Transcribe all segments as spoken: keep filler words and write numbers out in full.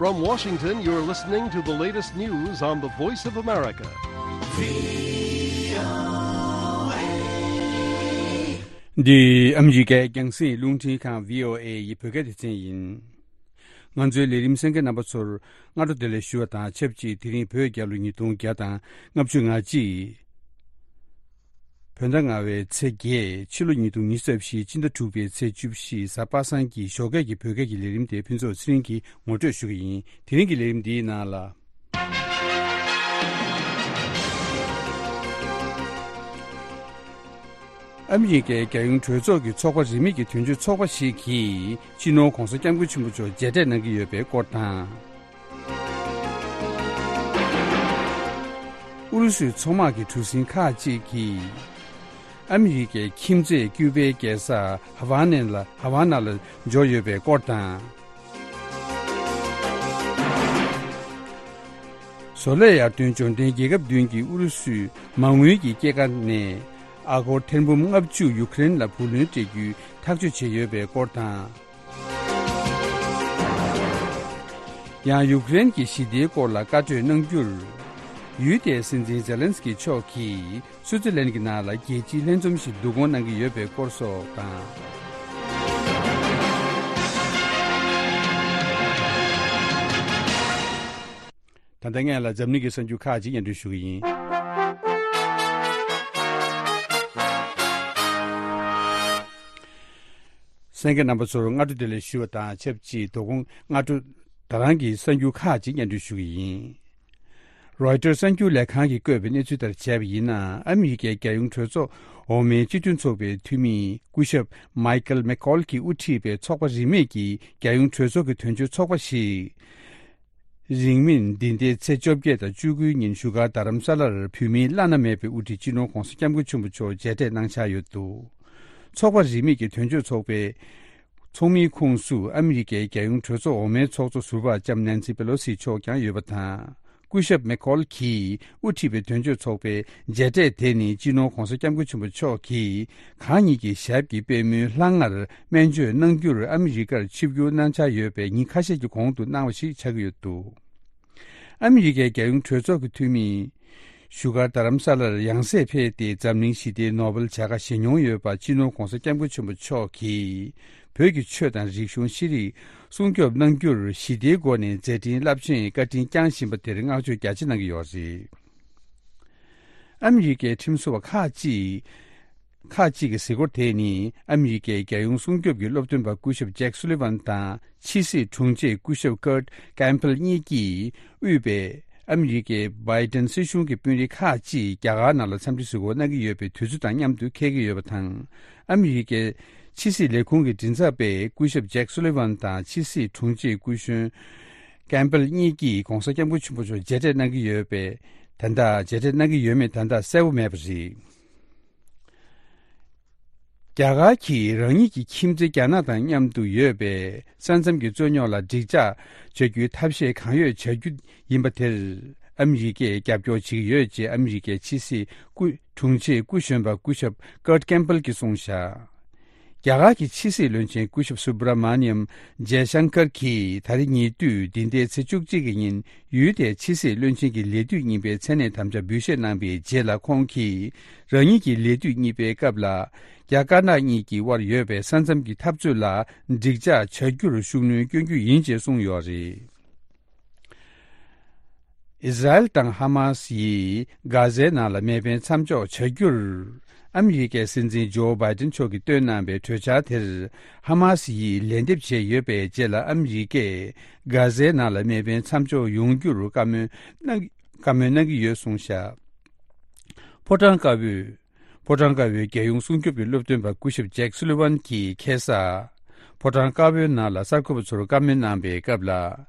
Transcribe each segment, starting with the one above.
From Washington, you're listening to the latest news on the Voice of America. འདི་ཨ་མི་རི་ཀའི་རྒྱང་སྲིང་རླུང་འཕྲིན་ཁང་བྷི་ཨོ་ཨེ་ཡི་བོད་སྐད་སྡེ་ཚན་ཡིན། ང་ཚོའི་ལས་རིམ་གསན་མཁན་རྣམ་པ་ཚོར་སྔ་དྲོ་བདེ་ལེགས་ཞུ་བ་དང་ཆབས་ཅིག་དེ་རིང་བོད་རྒྱལ་ལོ་ཉིས་སྟོང་བརྒྱ་དང་ལྔ་བཅུ་ང་གཅིག་བོད་ཟླ་ལྔ་བའི་ཚེས་བརྒྱད། ཕྱི་ལོ་ཉིས་སྟོང་ཉི་ཤུ་རྩ་བཞི། སྤྱི་ཟླ་དྲུག་པའི་ཚེས་བཅུ་བཞི། གཟའ་པ་སངས་ཀྱི་ཞོགས་ཀས་ཀྱི་བོད་སྐད་ཀྱི་ལས་རིམ་དེ་ཕུན་ཚོགས་ཚེ་རིང་གིས་ངོ་སྤྲོད་ཞུ་གི་ཡིན། དེ་རིང་གི་ལས་རིམ་འདིའི་ནང་ལ། ཨ་མི་རི་ཀའི་རྒྱལ་ཡོངས་གྲོས་ཚོགས་ཀྱི་ཚོགས་པ་རིས་མེད་ཀྱི་དོན་གཅོད་ཚོགས་པ་ཞིག་གིས་སྤྱི་ནོར་༧གོང་ས་༧སྐྱབས་མགོན་ཆེན་པོ་མཆོག་མཇལ་འཕྲད་གནང་གི་ཡོད་པའི་སྐོར་དང་། ཨུ་རུ་སུའི་མཚོ་དམག་གི་གྲུ་གཟིངས་ཁག་ཅིག་གིས་ཨ་མི་རི་ཀའི་ཁྱིམ་མཚེས་ཀྱུ་པའི་རྒྱལ་ས་ཧ་ཝ་ནན་ལ་ཧ་ཝ་ན་ལ་འབྱོར་ཡོད་པའི་སྐོར་དང་། བཟོ་ལས་ཡར་ཐོན་འབྱོར་ལྡན་རྒྱལ་ཁབ་བདུན་གྱིས་ཨུ་རུ་སུའི་མ་དངུལ་གྱི་སྐྱེད་ཀ་ནས་ཨ་སྒོར་ཐེར་འབུམ་ལྔ་བཅུ་ཡུ་ཀེ་རེན་ལ་བུ་ལོན་སྤྲད་རྒྱུའི་ཐག་གཅོད་བྱས་ཡོད་པའི་སྐོར་དང་། ཡང་ཡུཀ་རེན་གྱི་ཞི་བདེའི་སྐོར་ལ་བཀའ་གྲོས་གནང་རྒྱུར། ཡུལ་དེའི་སྲིད་འཛིན་ཛེ་ལན་སི་ཀི་མཆོག་གིས་སུའུ་ཙི་ལན་གྱི་ནང་ལ་རྒྱལ་སྤྱིའི་ལྷན་འཛོམས་ཤིག་བསྡུ་སྐོང་གནང་གི་ཡོད་པའི་སྐོར་སོགས་དང་། ད་ལྟ་སྔོན་ལ་འཛམ་གླིང་གི་གསར་འགྱུར་ཁག་ཅིག་སྙན་སྒྲོན་ཞུ་གི་ཡིན། གསན་མཁན་རྣམ་པ་ཚོར་སྔ་དྲོ་བདེ་ལེགས་ཞུ་བ་དང་ཆབས་ཅིག་དོ་དགོང་སྔ་དྲོ་ད་རང་གི་གསར་འགྱུར་ཁག་ཅིག་སྙན་སྒྲོན་ཞུ་གི་ཡིན། རོའི་ཊར་གསར་འགྱུར་ལས་ཁང་གིས་བཀོད་པའི་གནས་ཚུལ་ལྟར་བྱས་པ་ཡིན་ན། ཨ་མི་རི་ཀའི་རྒྱལ་ཡོངས་གྲོས་ཚོགས་འོག་མའི་སྤྱི་མཐུན་ཚོགས་པའི་འཐུས་མི་སྐུ་ཞབས་མའི་ཀལ་མེ་ཀོལ་གྱིས་དབུ་ཁྲིད་པའི་ཚོགས་པ་རིས་མེད་ཀྱི་རྒྱལ་ཡོངས་གྲོས་ཚོགས་ཀྱི་དོན་གཅོད་ཚོགས་པ་ཞིག་རིང་མིན་འདི་ཟླའི་ཚེས་བཅོ་བརྒྱད་དང་བཅུ་དགུའི་ཉིན་བཞུགས་སྒར་རྡ་རམ་ས་ལར་བོད་མིའི་བླ་ན་མེད་པའི་དབུ་ཁྲིད་སྤྱི་ནོར་༧གོང་ས་༧སྐྱབས་མགོན་ཆེན་པོ་མཆོག་མཇལ་འཕྲད་གནང་འཆར་ཡོད་འདུག། ཚོགས་པ་རིས་མེད་ཀྱི་དོན་གཅོད་ཚོགས་པའི་ཚོགས་མིའི་ཁོངས་སུ་ཨ་མི་རི་ཀའི་རྒྱལ་ཡོངས་གྲོས་ཚོགས་འོག་མའི་ཚོགས་གཙོ་ཟུར་པ་ལྕམ་ནན་སི་པེ་ལོ་སི་མཆོག་ཀྱང་ཡོད་པ་དང་། སྐུ་ཞབས་མེ་ཁོལ་གྱིས་དབུ་ཁྲིད་པའི་དོན་གཅོད་ཚོགས་པའི་མཇལ་འཕྲད་དེ་ནི་སྤྱི་ནོར་༧གོང་ས་༧སྐྱབས་མགོན་ཆེན་པོ་མཆོག་གིས་གང་ཉིད་ཀྱི་ཞབས་ཀྱི་པད་མོའི་ལྷ་ལྔར་སྨན་བཅོས་གནང་རྒྱུར་ཨ་མི་རི་ཀར་ཆིབས་བསྒྱུར་གནང་འཆར་ཡོད་པའི་ཉིན་ཁ་ཤས་ཀྱི་གོང་དུ་གནང་བ་ཞིག་ཆགས་ཀྱི་ཡོད་འདུག། ཨ་མི་རི་ཀའི་རྒྱལ་ཡོངས་གྲོས་ཚོགས་ཀྱི་འཐུས་མི་བཞུགས་སྒར་རྡ་རམ་ས་ལར་ཡང་སེ་ཕེབས་ཏེ་འཛམ་གླིང་ཞི་བདེའི་ནོ་བེལ་བྱ་དགའ་བཞེས་མྱོང་ཡོད་པ་སྤྱི་ནོར་༧གོང་ས་༧སྐྱབས་མགོན་ཆེན་པོ་མཆོག་གིས་བོད་ཀྱི་ཆོས་དང་རིག་གཞུང་ཤེས་རིག་སྲུང་སྐྱོབ་གནང་རྒྱུར་ཞི་བདེའི་སྒོ་ནས་མཛད་འཕྲིན་རླབས་ཆེན་བཀའ་དྲིན་བསྐྱངས་བཞིན་པ་དེར་བསྔགས་བརྗོད་རྒྱ་ཆེ་གནང་གི་ཡོད་རེད། ཨ་མི་རི་ཀའི་ཁྲིམས་བཟོ་བ་ཁག་ཅིག་ཁག་ཅིག་གི་གཟིགས་སྐོར་དེ་ནི་ཨ་མི་རི་ཀའི་རྒྱལ་ཡོངས་སྲུང་སྐྱོབ་ཀྱི་སློབ་སྟོན་པ་སྐུ་ཞབས་ཇེག་སུ་ལི་ཝན་དང་ཕྱི་སྲིད་དྲུང་ཆེ་སྐུ་ཞབས་ཀར་ཀེམ་པེལ་གཉིས་ཀྱིས་དབུས་པའི་ཨ་མི་རི་ཀའི་བྷའི་ཏན་སྲིད་གཞུང་གི་དཔོན་རིགས་ཁག་ཅིག་རྒྱ་གར་ནང་ལ་འཚམས་འདྲི་གཟིགས་སྐོར་གནང་གི་ཡོད་པའི་དུས་ཚོད་དང་མཉམ་དུ་འཁེལ་གྱི་ཡོད་པ་དང་། ཨ་མི་རི་ཀའི་ཕྱི་སྲིད་ལས་ཁུངས་ཀྱི་མགྲིན་ཚབ་པས་སྐུ་ཞབས་ཇེག་སུ་ལི་ཝན་དང་ཕྱི་སྲིད་དྲུང་ཆེ་སྐུ་གཞོན་ཀེམ་པེལ་གཉིས་ཀྱིས་༧གོང་ས་༧སྐྱབས་མགོན་ཆེན་པོ་མཆོག་མཇལ་འཕྲད་གནང་གི་ཡོད་པའི་ད་ལྟ་མཇལ་འཕྲད་གནང་གི་ཡོད་མེད་ད་ལྟ་གསལ་པོ་མེད་པ་རེད། རྒྱ་གར་གྱིས་རང་ཉིད་ཀྱི་ཁྱིམ་མཚེས་རྒྱ་ནག་དང་མཉམ་དུ་ཡོད་པའི་ས་མཚམས་ཀྱི་རྩོད་རྙོག་ལ་འགྲིག་འཇགས་བྱ་རྒྱུའི་ཐབས་ཤེས་གང་ཡོད་བྱ་རྒྱུ་ཡིན་པ་དེར་ཨ་མི་རི་ཀས་རྒྱབ་སྐྱོར་བྱེད་ཀྱི་ཡོད་ཅེས་ཨ་མི་རི་ཀའི་ཕྱི་སྲིད་སྐུ་དྲུང་ཆེ་སྐུ་གཞོན་པ་སྐུ་ཞབས་ཀར་ཀེམ་པེལ་གྱིས་གསུངས་བཞག། རྒྱ་གར་གྱི་ཕྱི་སྲིད་བློན་ཆེན་སྐུ་ཞབས་སུ་བྷ་ར་མ་ནི་ཡམ་ཇེ་ཤང་ཀར་གྱིས་ད་རེས་ཉེ་དུས་འདི་ཟླའི་ཚེས་བཅུ་གཅིག་གི་ཉིན་ཡུལ་དེའི་ཕྱི་སྲིད་བློན་ཆེན་གྱི་ལས་དུས་གཉིས་པའི་མཚན་གནས་དམ་བཅའ་འབུལ་བཞེས་གནང་པའི་རྗེས་ལ་ཁོང་གིས་རང་ཉིད་ཀྱི་ལས་དུས་གཉིས་པའི་སྐབས་ལ་རྒྱ་དཀར་ནག་གཉིས་ཀྱི་དབར་ཡོད་པའི་ས་མཚམས་ཀྱི་འཐབ་རྩོད་ལ་འགྲིག་འཇགས་བྱ་རྒྱུར་ཤུགས་སྣོན་སྐྱོན་རྒྱུ་ཡིན་ཅེས་གསུངས་ཡོད་རེད། ཨི་ཟ་རེལ་དང་ཧ་མ་སི་ཡིས་གྷ་ཟའི་ནང་ལ་མེ་འཕེན་མཚམས་འཇོག་བྱ་རྒྱུར། ཨ་མི་རི་ཀའི་སྲིད་འཛིན་ཇོ་བྷའི་ཏིན་མཆོག་གིས་བཏོན་གནང་བའི་གྲོས་འཆར་དེར་ཧ་མ་སི་ཡིས་ལན་འདེབས་བྱས་ཡོད་པའི་རྗེས་ལ་ཨ་མི་རི་ཀས་གྷ་ཟའི་ནང་ལ་མེ་འཕེན་མཚམས་འཇོག་ཡོང་རྒྱུར་བཀའ་མོལ་གནང་བཀའ་མོལ་གནང་གི་ཡོད་གསུངས་བཞག། ཕོ་བྲང་དཀར་པོའི། ཕོ་བྲང་དཀར་པོའི་རྒྱལ་ཡོངས་སྲུང་སྐྱོབ་ཀྱི་སློབ་སྟོན་པ་སྐུ་ཞབས་ཇེག་སུ་ལི་ཝན་གྱིས་ཁ་སང་། ཕོ་བྲང་དཀར་པོའི་ནང་ལ་གསར་འགོད་པ་ཚོར་བཀའ་མོལ་གནང་པའི་སྐབས་ལ།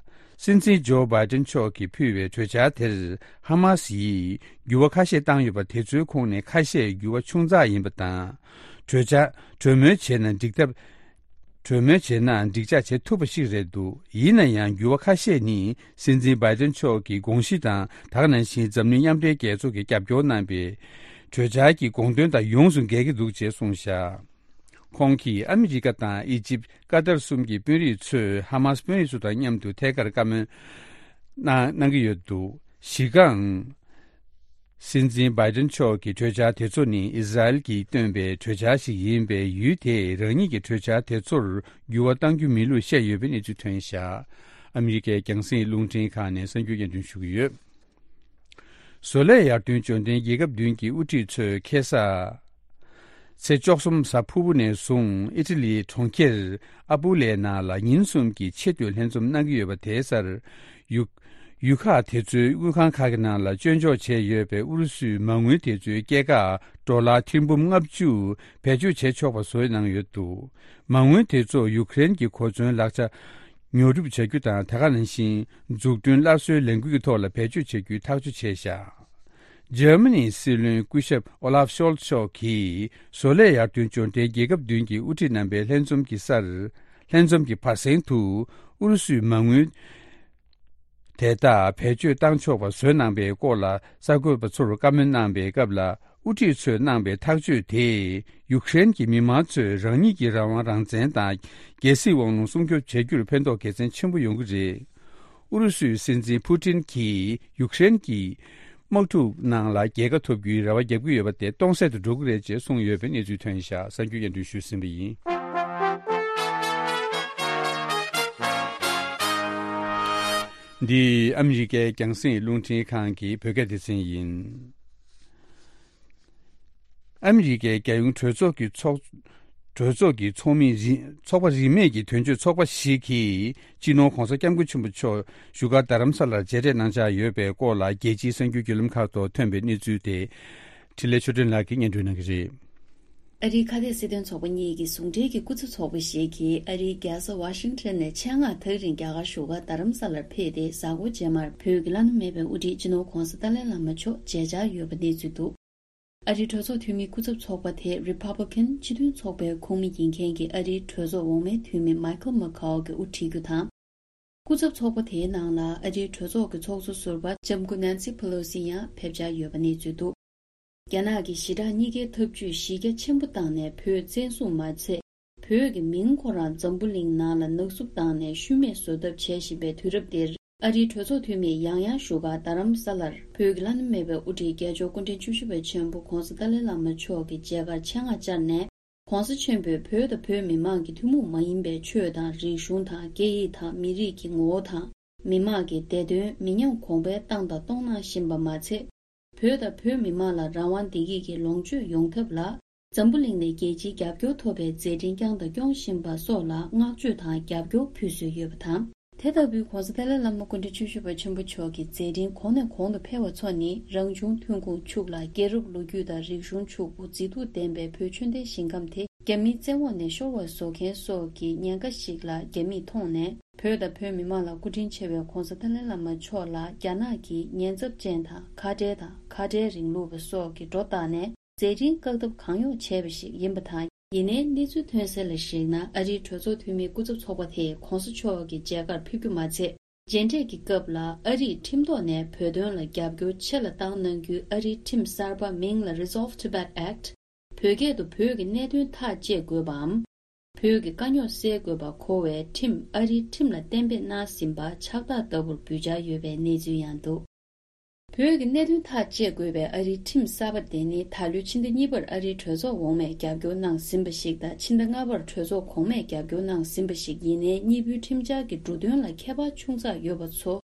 སྲིད་འཛིན་ཇོ་བྷའི་ཏིན་མཆོག་གིས་ཕུལ་བའི་གྲོས་འཆར་དེར་ཧ་མ་སི་ཡིས་འགྱུར་བ་ཁ་ཤས་བཏང་ཡོད་པ་དེ་ཚོའི་ཁོངས་ནས་ཁ་ཤས་འགྱུར་བ་ཆུང་ཙག་ཡིན་པ་དང་། གྲོས་འཆར་གྲོས་མོལ་བྱས་ན་འགྲིག་ཐབས། གྲོས་མོལ་བྱས་ན་འགྲིག་འཇགས་བྱེད་ཐུབ་པ་ཞིག་རེད་འདུག། ཡིན་ན་ཡང་འགྱུར་བ་ཁ་ཤས་ནི་སྲིད་འཛིན་བྷའི་ཏིན་མཆོག་གི་དགོངས་གཞི་དང་ད་ག་ནང་བཞིན་འཛམ་གླིང་མཉམ་འབྲེལ་རྒྱལ་ཚོགས་ཀྱིས་རྒྱབ་སྐྱོར་གནང་པའི་གྲོས་འཆར་གྱི་དགོངས་དོན་དང་ཡོངས་སུ་འགལ་གྱི་འདུག་ཅེས་གསུངས་བཞག། ཁོང་གིས་ཨ་མི་རི་ཀ་དང་ཨི་ཇིབ། ཀ་ཏར་གསུམ་གྱི་དཔོན་རིགས་ཚོས་ཧ་མཱས་དཔོན་རིགས་ཚོ་དང་མཉམ་དུ་ཐད་ཀར་བཀའ་མོལ་གནང་གནང་གི་ཡོད་འདུག་གཞི་རྐང་། སྲིད་འཛིན་བྷའི་ཏིན་མཆོག་གི་གྲོས་འཆར་དེ་ཚོ་ནི་ཨི་ཟ་རེལ་གྱིས་བཏོན་པའི་གྲོས་འཆར་ཞིག་ཡིན་པས། ཡུལ་དེས་རང་ཉིད་ཀྱི་གྲོས་འཆར་དེ་ཚོར་འགྱུར་བ་གཏང་རྒྱུ་མིན་ལུགས་བཤད་ཡོད་པའི་གནས་ཚུལ་ཐོན་བཞག་ཨ་མི་རི་ཀའི་རྒྱང་སྲིང་རླུང་འཕྲིན་ཁང་ནས་གསར་འགྱུར་སྙན་སྒྲོན་ཞུ་གི་ཡོད། བཟོ་ལས་ཡར་ཐོན་འབྱོར་ལྡན་རྒྱལ་ཁབ་བདུན་གྱི་དབུ་ཁྲིད་ཚོས་ཁ་སང་ཚེས་བཅུ་གསུམ་གཟའ་ཕུར་བུ་ནས་བཟུང་ཨི་ཊ་ལིའི་གྲོང་ཁྱེར་ཨ་པུ་ལའི་ནང་ལ་ཉིན་གསུམ་གྱི་ཆེས་མཐོའི་ལྷན་འཛོམས་གནང་གི་ཡོད་པ་དེའི་སར། ཡུ་ཡུལ་ཁག་དེ་ཚོའི་དངུལ་ཁང་ཁག་གི་ནང་ལ་སྤྱོད་འཇོག་བྱས་ཡོད་པའི་ཨུ་རུ་སུའི་མ་དངུལ་དེ་ཚོའི་སྐྱེད་ཀ་ཌོ་ལར་ཐེར་འབུམ་ལྔ་བཅུ་བེད་སྤྱོད་བྱས་ཆོག་པ་བཟོས་གནང་ཡོད་འདུག་མ་དངུལ་དེ་ཚོ་ཡུཀ་རེན་གྱི་གོ་མཚོན་ལག་ཆ་ཉོ་སྒྲུབ་བྱ་རྒྱུ་དང་། དེ་ག་ནང་བཞིན་འཛུགས་སྐྲུན་སླར་གསོའི་ལས་འགུལ་གྱི་ཐོག་ལ་བེད་སྤྱོད་བྱ་རྒྱུའི་ཐག་གཅོད་བྱས་བཞག་འཇར་མ་ནིའི་སྲིད་བློན་སྐུ་ཞབས་ཨོ་ལཱབ་ཤོལ་མཆོག་གིས་བཟོ་ལས་ཡར་ཐོན་འབྱོར་ལྡན་རྒྱལ་ཁབ་བདུན་གྱི་དབུ་ཁྲིད་རྣམ་པའི་ལྷན་འཛོམས་ཀྱི་སར། ལྷན་འཛོམས་ཀྱི་བར་གསེང་དུ་ཨུ་རུ་སུའི་མ་དངུལ་དེ་དག་བེད་སྤྱོད་བཏང་ཆོག་པ་བཟོས་གནང་པའི་སྐོར་ལ་གསར་འགོད་པ་ཚོར་བཀའ་མོལ་གནང་པའི་སྐབས་ལ། དབུ་ཁྲིད་ཚོས་གནང་པའི་ཐག་གཅོད་དེས་ཡུཀ་རེན་གྱི་མི་མང་ཚོས་རང་ཉིད་ཀྱི་རང་དབང་རང་བཙན་དང་རྒྱལ་སྲིད་དབང་ལུང་སྲུང་སྐྱོབ་བྱ་རྒྱུར་ཕན་ཐོགས་དགེ་མཚན་ཆེན་པོ་ཡོང་གི་རེད། ཨུ་རུ་སུའི་སྲིད་འཛིན་ཕུ་ཏིན་གྱིས་ཡུཀ་རེན་གྱི་དམག་འཁྲུག་ནང་ལ་རྒྱལ་ཁ་ཐོབ་རྒྱུའི་རེ་བ་རྒྱག་གི་ཡོད་པ་དེ་སྟོང་ཟད་དུ་འགྲོ་གི་རེད་ཅེས་གསུངས་ཡོད་པའི་གནས་ཚུལ་ཐོན་བཞག་གསར་འགྱུར་སྙན་སྒྲོན་ཞུས་ཟིན་པ་ཡིན། འདི་ཨ་མི་རི་ཀའི་རྒྱང་སྲིང་རླུང་འཕྲིན་ཁང་གི་བོད་སྐད་སྡེ་ཚན་ཡིན། ཨ་མི་རི་ཀའི་རྒྱལ་ཡོངས་གྲོས་ཚོགས་ཀྱི་ཚོགས་གྲོས་ཚོགས་ཀྱི་ཚོགས་མི་རིས་ཚོགས་པ་རིས་མེད་ཀྱི་དོན་གཅོད་ཚོགས་པ་ཞིག་གིས་སྤྱི་ནོར་༧གོང་ས་༧སྐྱབས་མགོན་ཆེན་པོ་མཆོག་བཞུགས་སྒར་རྡ་རམ་ས་ལར་མཇལ་འཕྲད་གནང་འཆར་ཡོད་པའི་སྐོར་ལ། རྒྱལ་སྤྱིའི་གསར་འགྱུར་བརྒྱུད་ལམ་ཁག་ཐོག་ཐོན་པའི་གནས་ཚུལ་དེ་འཕྲིན་ལས་ཆོས་སྒྲོན་ལགས་ཀྱིས་སྙན་སྒྲོན་གནང་གི་རེད། ཨ་རིའི་ཁ་གཏད་སྲིད་དོན་ཚོགས་པ་གཉིས་ཀྱི་ཟུང་འབྲེལ་གྱི་སྐུ་ཚབ་ཚོགས་པ་ཞིག་གིས་ཨ་རིའི་རྒྱལ་ས་ཝ་ཤིང་ཊོན་ནས་ཆེད་མངགས་ཐག་རིང་རྒྱ་གར་བཞུགས་སྒར་རྡ་རམ་ས་ལར་ཕེབས་ཏེ། གཟའ་འཁོར་རྗེས་མར་བོད་ཀྱི་བླ་ན་མེད་པའི་དབུ་ཁྲིད་སྤྱི་ནོར་༧གོང་ས་ཏཱ་ལའི་བླ་མ་མཆོག་མཇལ་འཆར་ཡོད་པ་གནས་ཚུལ་འདུག་ཨ་རིའི་གྲོས་ཚོགས་འཐུས་མིའི་སྐུ་ཚབ་ཚོགས་པ་དེ་རི་པབ་ལི་ཀན་སྤྱི་མཐུན་ཚོགས་པའི་ཁོངས་མི་ཡིན་མཁན་གྱི་ཨ་རིའི་གྲོས་ཚོགས་འོག་མའི་འཐུས་མི་མའི་ཁལ་མེ་ཁའོ་གིས་དབུ་ཁྲིད་རྒྱུ་དང་། སྐུ་ཚབ་ཚོགས་པ་དེའི་ནང་ལ་ཨ་རིའི་གྲོས་ཚོགས་ཀྱི་ཚོགས་གཙོ་ཟུར་པ་ལྕམ་སྐུ་ནན་སི་ཕེ་ལོ་སི་ཡང་ཕེབས་འཆར་ཡོད་པ་གནས་ཚུལ་འདུག་རྒྱ་ནག་གིས་ཞི་དྲག་གཉིས་ཀའི་འཐབ་ཇུས་གཞི་རྒྱ་ཆེན་པོ་བཏང་ནས་བོད་བཙན་བཟུང་མ་ཚད། བོད་ཀྱི་མིང་ཁོ་རང་འཛམ་བུ་གླིང་ནང་ལ་ནག་བསུབ་བཏང་ནས་ཤུལ་མེད་བཟོ་ཐབས་བྱེད་བཞིན་པའི་དུས་རབས་འདིར། ཨ་རིའི་གྲོས་ཚོགས་འཐུས་མིས་ཡང་ཡང་བཞུགས་སྒར་རྡ་རམ་ས་ལར་བོད་ཀྱི་བླ་ན་མེད་པའི་དབུ་ཁྲིད་རྒྱལ་མཆོག་སྐུ་ཕྲེང་བཅུ་བཞི་པ་ཆེན་པོ་༧གོང་ས་ཏཱ་ལའི་བླ་མ་མཆོག་གི་མཇལ་ཁར་ཆེད་མངགས་བཅར་ནས། ༧གོང་ས་ཆེན་པོས་བོད་དང་བོད་མི་མང་གི་ཐུན་མོང་མ་ཡིན་པའི་ཆོས་དང་རིག་གཞུང་དང་སྐད་ཡིག་དང་མི་རིགས་ཀྱི་ངོ་བོ་དང་། མི་དམངས་ཀྱི་བདེ་དོན་མི་ཉམས་གོང་འཕེལ་བཏང་དང་གཏོང་གནང་བཞིན་པ་མ་ཚད། བོད་དང་བོད་མི་མང་ལ་རང་དབང་བདེ་སྐྱིད་ཀྱི་ལོངས་སྤྱོད་ཡོང་ཐབས་ལ། འཛམ་བུ་གླིང་ནས་རྒྱལ་སྤྱིའི་རྒྱབ་སྐྱོར་ཐོབ་པའི་མཛད་འཕྲིན་བསྐྱངས་དང་སྐྱོང་བཞིན་པ་སོགས་ལ་བསྔགས་བརྗོད་དང་རྒྱབ་སྐྱོར་ཕུལ་སྲོལ་ཡོད་པ་དང་། དེ་ལྟ་བུའི་༧གོང་ས་ཏཱ་ལའི་བླ་མ་སྐུ་ཕྲེང་བཅུ་བཞི་པ་ཆེན་པོ་མཆོག་གི་མཛད་འཕྲིན་གོང་ནས་གོང་དུ་འཕེལ་བ་ཚོ་ནི། རང་བྱུང་ཐོན་ཁུངས་ཕྱུག་ལ། རྒྱལ་རབས་ལོ་རྒྱུས་དང་རིག་གཞུང་ཕྱུག་པོ། མཛེས་སྡུག་ལྡན་པའི་བོད་ཆོས་ལྡན་ཞིང་ཁམས་དེ་རྒྱ་མིའི་བཙན་འོག་ནས་ཤོར་བ་བཟོ་མཁན་སོགས་ཀྱི་ཉེན་ཁ་ཞིག་ལ་རྒྱ་མིས་མཐོང་ནས། བོད་དང་བོད་མི་མང་ལ་སྐུ་དྲིན་ཆེ་བའི་༧གོང་ས་ཏཱ་ལའི་བླ་མ་མཆོག་ལ་རྒྱ་ནག་གིས་ཉེན་ཚབས་ཅན་དང་། ཁ་བྲལ་དང་། ཁ་བྲལ་རིང་ལུགས་པ་སོགས་ཀྱི་སྒྲོ་བཏགས་ནས། མཛད་འཕྲིན་བཀག་ཐབས་གང་ཡོང་བྱས་པ་ཞིག་ཡིན་པ་དང་། ཡིན་ནའི་གནས་ཚུལ་ཐོན་གསལ་ལ་གཞིགས་ན། ཨ་རིའི་གྲོས་ཚོགས་འཐུས་མིའི་སྐུ་ཚབ་ཚོགས་པ་དེས་༧གོང་ས་མཆོག་གི་མཇལ་ཁར་ཕེབས་རྒྱུ་མ་ཚད། མཇལ་འཕྲད་ཀྱི་སྐབས་ལ་ཨ་རིས་ཁྲིམས་ཐོག་ནས་བོད་དོན་ལ་རྒྱབ་སྐྱོར་ཆེ་ལ་བཏང་གནང་རྒྱུའི་ཨ་རིའི་ཁྲིམས་གསར་པ་མིང་ལ་Resolve Tibet Act། བོད་སྐད་དུ་བོད་ཀྱི་གནད་དོན་ཐག་བཅད་དགོས་པའམ། བོད་ཀྱི་དཀའ་རྙོག་སེལ་དགོས་པ་གོ་བའི་ཁྲིམས་ཨ་རིའི་ཁྲིམས་ལ་གཏན་འབེབས་གནང་ཟིན་པ་ཕྱག་རྟགས་ལྟ་བུར་འབུལ་འཆར་ཡོད་པའི་གནས་ཚུལ་ཡང་འདུག་བོད་ཀྱི་གནད་དོན་ཐག་གཅད་དགོས་པའི་ཨ་རིའི་ཁྲིམས་གསར་པ་དེ་ནི་ད་ལོའི་ཕྱི་ཟླ་གཉིས་པར་ཨ་རིའི་གྲོས་ཚོགས་འོག་མས་རྒྱབ་སྐྱོར་གནང་ཟིན་པ་ཞིག་དང་། ཕྱི་ཟླ་ལྔ་པར་གྲོས་ཚོགས་གོང་མས་རྒྱབ་སྐྱོར་གནང་ཟིན་པ་ཞིག་ཡིན་ནའི། གཉིས་པོའི་ཁྲིམས་འཆར་གྱི་འབྲུ་དོན་ལ་ཁྱད་པར་ཆུང་ཙག་ཡོད་པ་ཚོ་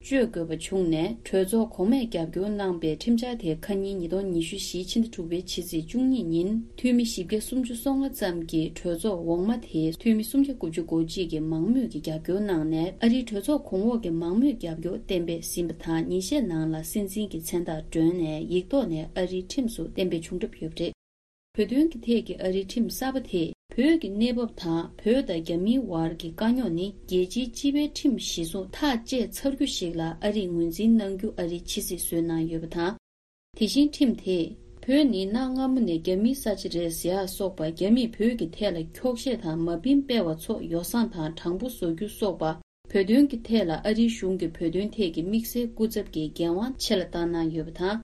གཅོད་དགོས་པ་བྱུང་ནས། གྲོས་ཚོགས་གོང་མས་རྒྱབ་སྐྱོར་གནང་པའི་ཁྲིམས་འཆར་དེ་ཁ་ཉིན་ཉིས་སྟོང་ཉི་ཤུ་བཞི་ཕྱི་ཟླ་དྲུག་པའི་ཕྱི་ཚེས་བཅུ་གཉིས་ཉིན་འཐུས་མི་བཞི་བརྒྱ་སུམ་ཅུ་སོ་ལྔ་ཙམ་གྱིས་གྲོས་ཚོགས་འོག་མ་དེའི་འཐུས་མི་སུམ་བརྒྱ་དགུ་བཅུ་གོ་གཅིག་གིས་མང་མོས་ཀྱིས་རྒྱབ་སྐྱོར་གནང་ནས། ཨ་རིའི་གྲོས་ཚོགས་གོང་འོག་གི་མང་མོས་རྒྱབ་སྐྱོར་གཏན་འབེབས་ཟིན་པ་དང་། ཉིན་ཤས་ནང་ལ་སྲིད་འཛིན་གྱི་མཚན་རྟགས་བསྒྲོན་ནས་ཡིག་ཐོག་ནས་ཨ་རིའི་ཁྲིམས་སུ་གཏན་འབེབས་བྱུང་གྲབས་ཡོད་པ་རེད། བོད་དོན་གྱི་ཐད་ཀྱི་ཨ་རིའི་ཁྲིམས་གསར་པ་དེས་བོད་ཀྱི་གནས་བབ་དང་། བོད་དང་རྒྱ་མིའི་བར་གྱི་དཀའ་རྙོག་ནི་རྒྱལ་སྤྱིའི་སྤྱི་པའི་ཁྲིམས་གཞི་བཟུང་ཐག་བཅད་ཚར་རྒྱུ་ཞིག་ལ་ཨ་རིས་ངོས་འཛིན་གནང་རྒྱུ་ཨ་རིས་ཕྱི་བསྲེས་བཟོས་གནང་ཡོད་པ་དང་། དེ་བཞིན་ཁྲིམས་དེས་བོད་ནི་གནའ་སྔ་མོ་ནས་རྒྱ་མིའི་ས་ཆ་རེད་ཟེར་ཡག་སོགས་པ། རྒྱ་མིས་བོད་ཀྱི་ཐད་ལ་འཁྱོག་བཤད་དང་མ་ཕིན་སྤེལ་བ་ཚོ་ཡོ་བསྲང་དང་དྲང་པོ་བཟོ་རྒྱུ་སོགས་པ། བོད་དོན་གྱི་ཐད་ལ་ཨ་རིའི་གཞུང་གིས་བོད་དོན་ཐད་ཀྱི་དམིགས་བསལ་སྐུ་ཚབ་ཀྱི་འགན་དབང་ཆེ་ལ་བཏང་གནང་ཡོད་པ་དང་།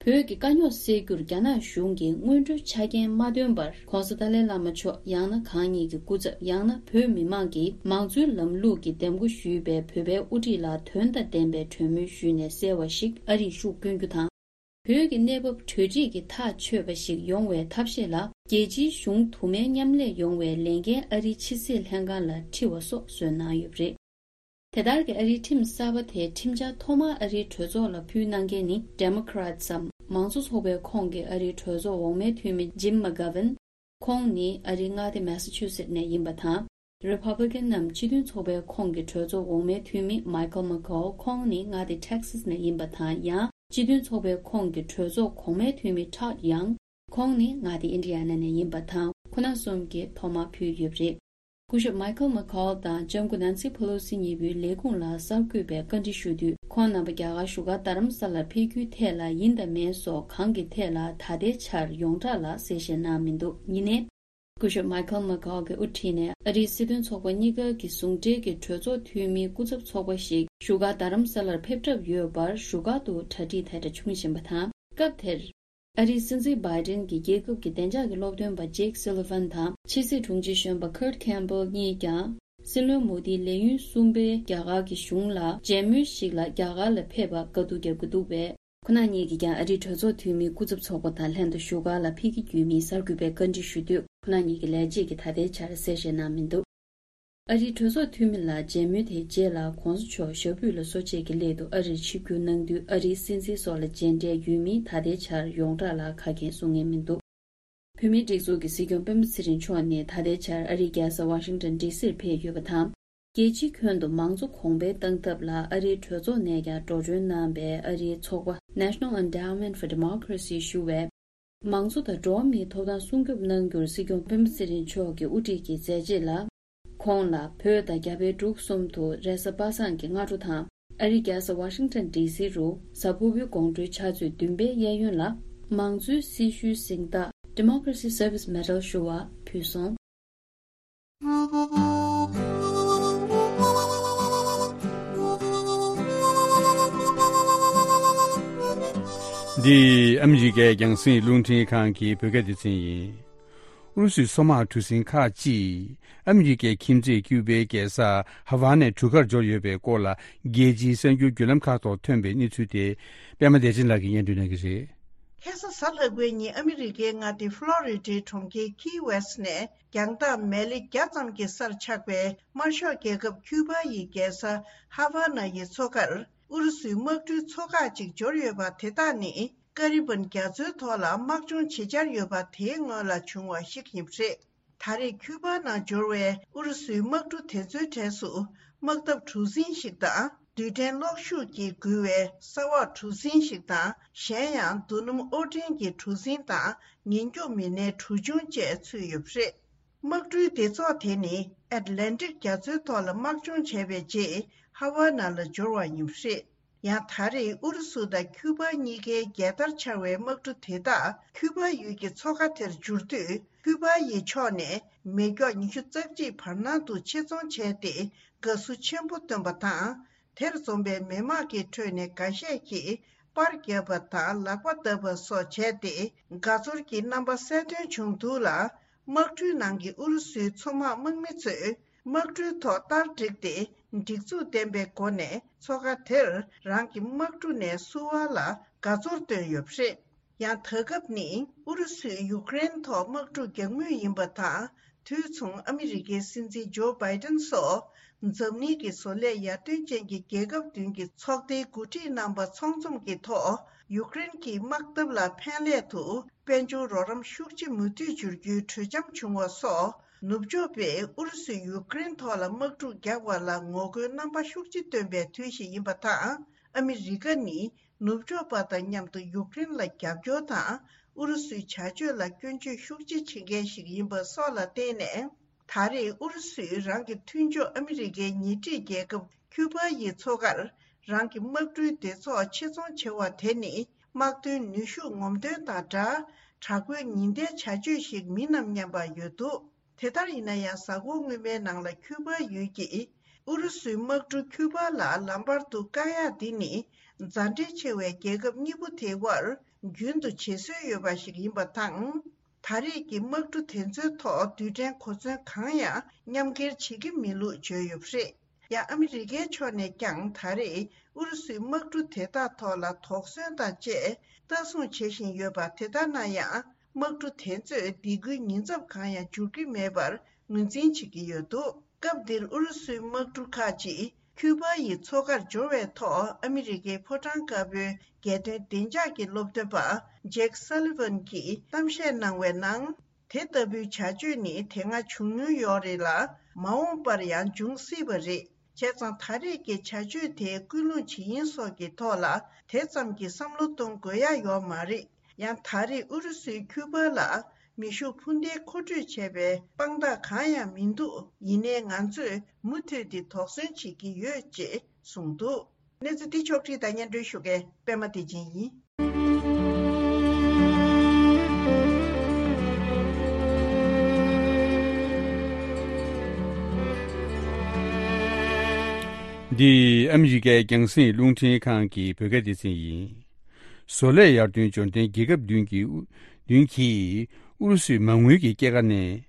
བོད་ཀྱི་དཀའ་རྙོག་སེལ་རྒྱུར་རྒྱ་ནག་གཞུང་གིས་སྔོན་འགྲོའི་ཆ་རྐྱེན་མ་བཏོན་པར། ྋགོང་ས་ཏཱ་ལའི་བླ་མ་མཆོག་ཡང་ན་གང་ཉིད་ཀྱི་སྐུ་ཚབ། ཡང་ན་བོད་མི་མང་གིས་མང་གཙོའི་ལམ་ལུགས་ཀྱི་འདེམས་བསྐོ་ཞུས་པའི་བོད་པའི་དབུ་ཁྲིད་ལ་དོན་དང་ལྡན་པའི་གྲོས་མོལ་ཞུས་ནས་གསལ་བ་ཞིག་ཨ་རིར་ཤུགས་བསྐྱོན་རྒྱུ་དང་། བོད་ཀྱི་གནས་བབ་གྲོས་འགྲིག་གིས་ཐག་ཆོད་པ་ཞིག་ཡོང་བའི་ཐབས་ཤེས་ལ། རྒྱལ་སྤྱིའི་གཞུང་དུ་མའི་མཉམ་ལས་ཡོང་བའི་ལས་འགན་ཨ་རིའི་ཕྱི་སྲིད་ལྷན་ཁང་ལ་འཁྲི་བ་སོགས་བཟོས་གནང་ཡོད་པ་རེད། དེ་ལྟར་གྱི་ཨ་རིའི་ཁྲིམས་གསར་པ་དེའི་ཁྲིམས་འཆར་ཐོག་མར་ཨ་རིའི་གྲོས་ཚོགས་ལ་ཕུལ་གནང་མཁན་ནི། Democrats འམ་མང་གཙོ་ཚོགས་པའི་ཁོངས་ཀྱི་ཨ་རིའི་གྲོས་ཚོགས་འོག་མའི་འཐུས་མི་Jim McGovern། ཁོང་ནི་ཨ་རིའི་མངའ་སྡེ་Massachusetts ནས་ཡིན་པ་དང་། Republican འམ་སྤྱི་མཐུན་ཚོགས་པའི་ཁོངས་ཀྱི་གྲོས་ཚོགས་འོག་མའི་འཐུས་མི་Michael McCaul། ཁོང་ནི་མངའ་སྡེ་Texas ནས་ཡིན་པ་དང་། ཡང་སྤྱི་མཐུན་ཚོགས་པའི་ཁོངས་ཀྱི་གྲོས་ཚོགས་གོང་མའི་འཐུས་མི་Todd Young། ཁོང་ནི་མངའ་སྡེ་Indiana ནས་ཡིན་པ་དང་། ཁོང་རྣམ་གསུམ་གྱིས་ཐོག་མར་ཕུལ་ཡོད་པ་རེད། སྐུ་ཞབས་Michael McCaul དང་ལྕམ་སྐུ་Nancy Pelosi གཉིས་པོའི་ལས་ཁུངས་ལ་གསར་འགོད་པས་བཀའ་འདྲི་ཞུ་དུས། ཁོང་རྣམ་པ་རྒྱ་གར་བཞུགས་སྒར་རྡ་རམ་ས་ལར་ཕེབས་རྒྱུའི་ཐད་ལ་ཡིན་དང་མིན་སོགས་གང་གི་ཐད་ལ་ད་ལྟའི་ཆར་ཡོངས་གྲགས་ལ་གསལ་བཤད་གནང་མི་འདུག་ཡིན་ནའི། སྐུ་ཞབས་Michael McCaul གྱི་དབུ་ཁྲིད་ནས་ཨ་རིའི་སྲིད་དོན་ཚོགས་པ་གཉིས་ཀ་གི་ཟུང་འབྲེལ་གྱི་གྲོས་ཚོགས་འཐུས་མིའི་སྐུ་ཚབ་ཚོགས་པ་ཞིག་བཞུགས་སྒར་རྡ་རམ་ས་ལར་ཕེབས་གྲབས་ཡོད་པར་བཞུགས་སྒར་དུ་གྲ་སྒྲིག་དེ་འདྲ་བྱུང་བཞིན་པ་དང་། སྐབས་དེར། ཨ་རིའི་སྲིད་འཛིན་Biden གྱིས་རྒྱལ་ཁབ་ཀྱི་བདེ་འཇགས་ཀྱི་སློབ་སྟོན་པ་Jake Sullivan དང་ཕྱི་སྲིད་དྲུང་ཆེ་གཞོན་པ་Kurt Campbell གཉིས་ཀྱང་། སྲིད་བློན་མོ་དིའི་ལས་ཡུན་གསུམ་པའི་རྒྱ་གར་གྱི་གཞུང་ལ་མཇལ་མོལ་ཞིག་ལ་རྒྱ་གར་ལ་ཕེབས་པར་དཀའ་སྡུག་བརྒྱབ་ཀྱི་འདུག་པས། ཁོང་རྣམ་གཉིས་ཀྱིས་ཀྱང་ཨ་རིའི་གྲོས་ཚོགས་འཐུས་མིའི་སྐུ་ཚབ་ཚོགས་པ་དང་ལྷན་དུ་བཞུགས་སྒར་ལ་ཕེབས་ཀྱི་ཡོད་མིན་གསར་འགོད་པས་བཀའ་འདྲི་ཞུ་དུས། ཁོང་རྣམ་གཉིས་ཀྱི་ལས་བྱེད་ཀྱིས་ད་ལྟའི་ཆར་གསལ་བཤད་གནང་མི་འདུག་ཨ་རིའི་གྲོས་ཚོགས་འཐུས་མི་ལ་མཇལ་མོལ་དེའི་རྗེས་ལ་གོང་ས་མཆོག་ཞབས་པུས་ལ་གསོ་དཔྱད་ཀྱི་སླད་དུ་ཨ་རིར་ཆིབས་བསྒྱུར་གནང་དུས། ཨ་རིའི་སྲིད་འཛིན་སོགས་ལ་མཇལ་འཕྲད་ཡོད་མིན་ད་ལྟའི་ཆར་ཡོངས་གྲགས་ལ་ཁ་གསལ་གསུང་མཁན་མི་འདུག་བོད་མིའི་སྒྲིག་འཛུགས་ཀྱི་སྲིད་སྐྱོང་སྤེན་པ་ཚེ་རིང་མཆོག་ནི་ད་ལྟའི་ཆར་ཨ་རིའི་རྒྱལ་ས་ཝ་ཤིང་ཊོན་ཌི་སིར་ཕེབས་ཡོད་པ་དང་། རྒྱལ་སྤྱིའི་ཁྱོན་དུ་མང་གཙོ་གོང་འཕེལ་གཏང་ཐབས་ལ་ཨ་རིའི་གྲོས་ཚོགས་ནས་ཀྱང་འགྲོ་གྲོན་གནང་བའི་ཨ་རིའི་ཚོགས་པ་National Endowment for Democracy ཞུ་བས། མང་གཙོ་དང་འགྲོ་བ་མིའི་ཐོབ་ཐང་སྲུང་སྐྱོབ་གནང་རྒྱུར་སྲིད་སྐྱོང་སྤེན་པ་ཚེ་རིང་མཆོག་གི་དབུ་ཁྲིད་ཀྱི་མཛད་རྗེས་ལ། ཁོང་ལ་བོད་དང་རྒྱ་བལ་འབྲུག་གསུམ་དུ་རེས་གཟའ་པ་སངས་ཀྱི་སྔ་དྲོ་དང་། ཨ་རིའི་རྒྱལ་ས་ཝ་ཤིང་ཊོན་ཌི་སི་རུ་གཟའ་ཕུར་བུའི་དགོང་དྲོའི་ཕྱག་ཚོད་བདུན་པའི་གཡས་གཡོན་ལ། མང་གཙོའི་སྲི་ཞུའི་གཟེངས་རྟགས་Democracy Service Medal ཞུ་བ་ཕུལ་སོང་། འདི་ཨ་མི་རི་ཀའི་རྒྱང་སྲིང་རླུང་འཕྲིན་ཁང་གི་བོད་སྐད་སྡེ་ཚན་ཡིན། ཨུ་རུ་སུའི་སོ་དམག་གྲུ་གཟིངས་ཁག་ཅིག་ཨ་མི་རི་ཀའི་ཁྱིམ་མཚེས་ཀིའུ་པའི་རྒྱལ་ས་ཧ་ཝ་ནའི་གྲུ་ཁར་འབྱོར་ཡོད་པའི་སྐོར་ལ། རྒྱལ་སྤྱིའི་གསར་འགྱུར་བརྒྱུད་ལམ་ཁག་ཐོག་ཐོན་པའི་གནས་ཚུལ་དེ། པད་མ་བདེ་ཆེན་ལགས་ཀྱིས་སྙན་སྒྲོན་གནང་གི་རེད། ཁ་སང་གཟའ་ལྷག་པའི་ཉིན་ཨ་མི་རི་ཀའི་མངའ་སྡེ་ཕློ་རི་ཌའི་གྲོང་ཁྱེར་ཁི་ཝེ་སི་ནས་རྒྱང་ཐག་མེལ་ལེ་བརྒྱ་ཙམ་གྱི་སར་ཆགས་པའི་དམར་ཤོག་རྒྱལ་ཁབ་ཁྱུ་པ་ཡི་རྒྱལ་ས་ཧ་ཝ་ན་ཡི་མཚོ་ཁར་ཨུ་རུ་སུའི་དམག་གྲུའི་ཚོ་ཁག་ཅིག་འབྱོར་ཡོད་པ་དེ་དག་ནི། ཀ་རི་བན་རྒྱ་མཚོའི་ཐོག་ལ་དམག་སྦྱོང་བྱེད་འཆར་ཡོད་པ་དེའི་སྔོན་ལ་བྱུང་བ་ཞིག་ཡིན་པ་རེད། ད་རེས་ཁྱུ་པ་ནང་འབྱོར་བའི་ཨུ་རུ་སུའི་དམག་གྲུ་དེ་ཚོའི་གྲས་སུ། དམག་འཐབ་གྲུ་གཟིངས་ཤིག་དང་། རྡུལ་ཕྲན་གློག་ཤུགས་ཀྱིས་འགུལ་བའི་ས་འོག་གྲུ་གཟིངས་ཤིག་དང་། གཞན་ཡང་། རྡོ་སྣུམ་དབོར་འདྲེན་གྱི་གྲུ་གཟིངས་དང་། ཉེན་སྐྱོབ་མི་སྣའི་གྲུ་ཆུང་བཅས་ཚུད་ཡོད་པ་རེད། དམག་གྲུའི་སྡེ་ཚོགས་དེ་ནི་ཨེཊ་ལན་ཊིག་རྒྱ་མཚོའི་ཐོག་ལ་དམག་སྦྱོང་བྱས་པའི་རྗེས་ཧ་ཝ་ན་ལ་འབྱོར་བ་ཡིན་པ་རེད། ཡང་ད་རེས་ཨུ་རུ་སུ་དང་ཁྱུ་པ་གཉིས་ཀའི་རྒྱལ་དར་འཕྱར་བའི་དམག་གྲུ་དེ་དག་ཁྱུ་པ་ཡུལ་གྱི་མཚོ་ཁ་དེར་འབྱོར་དུས། ཁྱུ་པ་ཡི་ཕྱོགས་ནས་མེ་སྒྱོགས་ཉི་ཤུ་རྩ་གཅིག་བར་སྣང་དུ་ཆེད་རྫོང་བྱས་ཏེ། དགའ་བསུ་ཆེན་པོ་བཏོན་པ་དང་། དེར་འཛོམས་པའི་མི་མང་གི་ཁྲོད་ནས་འགའ་ཤས་ཀྱིས་པར་བརྒྱབ་པ་དང་ལག་པ་བརྡབས་པ་སོགས་བྱས་ཏེ། དགའ་ཚོར་གྱི་རྣམ་པ་གསལ་སྟོན་བྱུང་འདུག་ལ། དམག་གྲུའི་ནང་གི་ཨུ་རུ་སུའི་མཚོ་དམག་དམག་མི་ཚོས་དམག་གྲུའི་ཐོག་སྟར་བསྒྲིགས་ཏེ། སྒྲིག་འཛུགས་ལྡན་པའི་སྒོ་ནས་མཚོ་ཁ་དེར་རང་གི་དམག་གྲུ་ནས་བསུ་བ་ལ་དགའ་ཚོར་བཏོན་ཡོད་པ་རེད། ཡང་ད་སྐབས་ནི་ཨུ་རུ་སུས་ཡུཀ་རེན་ཐོག་དམག་འཁྲུག་རྒྱག་མུས་ཡིན་པ་དང་། དུས་མཚུངས་ཨ་མི་རི་ཀའི་སྲིད་འཛིན་ཇོ་བྷའི་ཏན་སོགས་འཛམ་གླིང་གི་བཟོ་ལས་ཡར་ཐོན་ཅན་གྱི་རྒྱལ་ཁབ་བདུན་གྱི་ཚོགས་སྡེའི་འགོ་ཁྲིད་རྣམ་པ་ཚོགས་འཛོམས་ཀྱི་ཐོག་ཡུཀ་རེན་གྱི་དམག་འཐབ་ལ་ཕན་སླད་དུ་དཔལ་འབྱོར་རོགས་རམ་ཤུགས་ཆེ་མུ་མཐུད་འབྱོར་རྒྱུའི་གྲོས་འཆམ་བྱུང་བ་སོགས། ནུབ་ཕྱོགས་པས་ཨུ་རུ་སུས་ཡུཀ་རེན་ཐོག་ལ་དམག་འཁྲུག་རྒྱག་པ་ལ་ངོ་རྒོལ་རྣམ་པ་ཤུགས་ཆེ་བཏོན་པའི་དུས་ཤིག་ཡིན་པ་དང་། ཨ་མི་རི་ཀ་ནི། ནུབ་ཕྱོགས་པ་དང་མཉམ་དུ་ཡུཀ་རེན་ལ་རྒྱབ་སྐྱོར་དང་། ཨུ་རུ་སུའི་བྱ་སྤྱོད་ལ་སྐྱོན་བརྗོད་ཤུགས་ཆེ་བྱེད་མཁན་ཞིག་ཡིན་པ་སོགས་ལ་བརྟེན་ནས། ད་རེས་ཨུ་རུ་སུས་རང་གི་མཐུན་ཕྱོགས་ཨ་མི་རི་ཀའི་ཉེ་འཁྲིས་རྒྱལ་ཁབ་ཁྱུ་པ་ཡི་མཚོ་ཁར་རང་གི་དམག་གྲུའི་སྡེ་ཚོགས་ཆེད་རྫོང་བྱེད་པ་དེ་ནི། དམག་དོན་ནུས་ཤུགས་ངོམ་སྟོན་དང་སྦྲགས། དྲག་པོའི་ཉེན་བརྡའི་བྱ་སྤྱོད་ཞིག་མིན་ནམ་སྙམ་པ་ཡོད་འདུག་དེ་ལྟར་ཡིན་ན་ཡང་། གཟའ་འཁོར་སྔོན་མའི་ནང་ལ་ཁྱུ་པ་ཡུལ་གྱི་ཨུ་རུ་སུའི་དམག་གྲུ་ཁྱུ་པ་ལ་ལམ་བར་དུ་བཀག་ཡག་འདི་ནི། མཛའ་འབྲེལ་ཆེ་བའི་རྒྱལ་ཁབ་གཉིས་པོ་དེའི་དབར་ རྒྱུན་དུ་བྱེད་སྲོལ་ཡོད་པ་ཞིག་ཡིན་པ་དང་། ད་རེས་ཀྱི་དམག་གྲུ་དེ་ཚོའི་ཐོག་རྡུལ་ཕྲན་གོ་མཚོན་གང་ཡང་མཉམ་འཁྱེར་བྱེད་ཀྱི་མེད་ལུགས་བརྗོད་ཡོད་པ་རེད། ཡང་ཨ་མི་རི་ཀའི་ཕྱོགས་ནས་ཀྱང་ད་རེས་ཨུ་རུ་སུའི་དམག་གྲུ་དེ་དག་ཐོག་ལ་དོགས་ཟོན་དང་བཅས་ལྟ་སྲུང་བྱེད་བཞིན་ཡོད་པ། དེ་ལྟར་ན་ཡང་དམག་གྲུ་དེ་ཚོས་སྡིགས་སྐུལ་ཉེན་ཚབས་གང་ཡང་འགྱུར་གྱི་མེད་པར་ངོས་འཛིན་བྱེད་ཀྱི་ཡོད་འདུག་སྐབས་འདིར་ཨུ་རུ་སུའི་དམག་གྲུ་ཁག་ཅིག་ཁྱུ་པ་ཡི་མཚོ་ཁར་འབྱོར་བའི་ཐོག་ཨ་མི་རི་ཀའི་ཕོ་བྲང་དཀར་པོའི་རྒྱལ་དོན་བདེ་འཇགས་ཀྱི་སློབ་སྟོན་པ་ཇེག་སཱ་ལི་ཝན་གྱིས་གཏམ་བཤད་གནང་བའི་ནང་། དེ་ལྟ་བུའི་བྱ་སྤྱོད་ནི་དེ་སྔ་བྱུང་མྱོང་ཡོད་རེད་ལ། མ་འོངས་པར་ཡང་འབྱུང་སྲིད་པ་རེད། བྱས་ཙང་ད་རེས་ཀྱི་བྱ་སྤྱོད་དེ་སྐུལ་སློང་བྱེད་ཡིན་སོགས་ཀྱི་ཐོག་ལ་དེ་ཙམ་གྱི་བསམ་བློ་གཏོང་དགོས་ཡ་ཡོད་མ་རེད། ཡང་ད་རེས་ཨུ་རུ་སུའི་ཁྱུ་པ་ལ་མེ་ཤུགས་འཕུར་མདེལ་མཁོ་སྤྲོད་བྱས་པའི་དཔང་རྟགས་གང་ཡང་མི་འདུག་ཡིན་ནའི་ང་ཚོས་མུ་མཐུད་དེ་དོགས་ཟོན་བྱེད་ཀྱི་ཡོད་ཅེས་གསུངས་འདུག་གནས་ཚུལ་འདི་ཕྱོགས་བསྒྲིགས་དང་སྙན་སྒྲོན་ཞུ་མཁན་པད་མ་བདེ་ཆེན་ཡིན། འདི་ཨ་མི་རི་ཀའི་རྒྱང་སྲིང་རླུང་འཕྲིན་ཁང་གི་བོད་སྐད་སྡེ་ཚན་ཡིན། བཟོ་ལས་ཡར་ཐོན་འབྱོར་ལྡན་རྒྱལ་ཁབ་བདུན་གྱི་ཨུ་བདུན་གྱིས་ཨུ་རུ་སུའི་མ་དངུལ་གྱི་སྐྱེད་ཀ་ནས།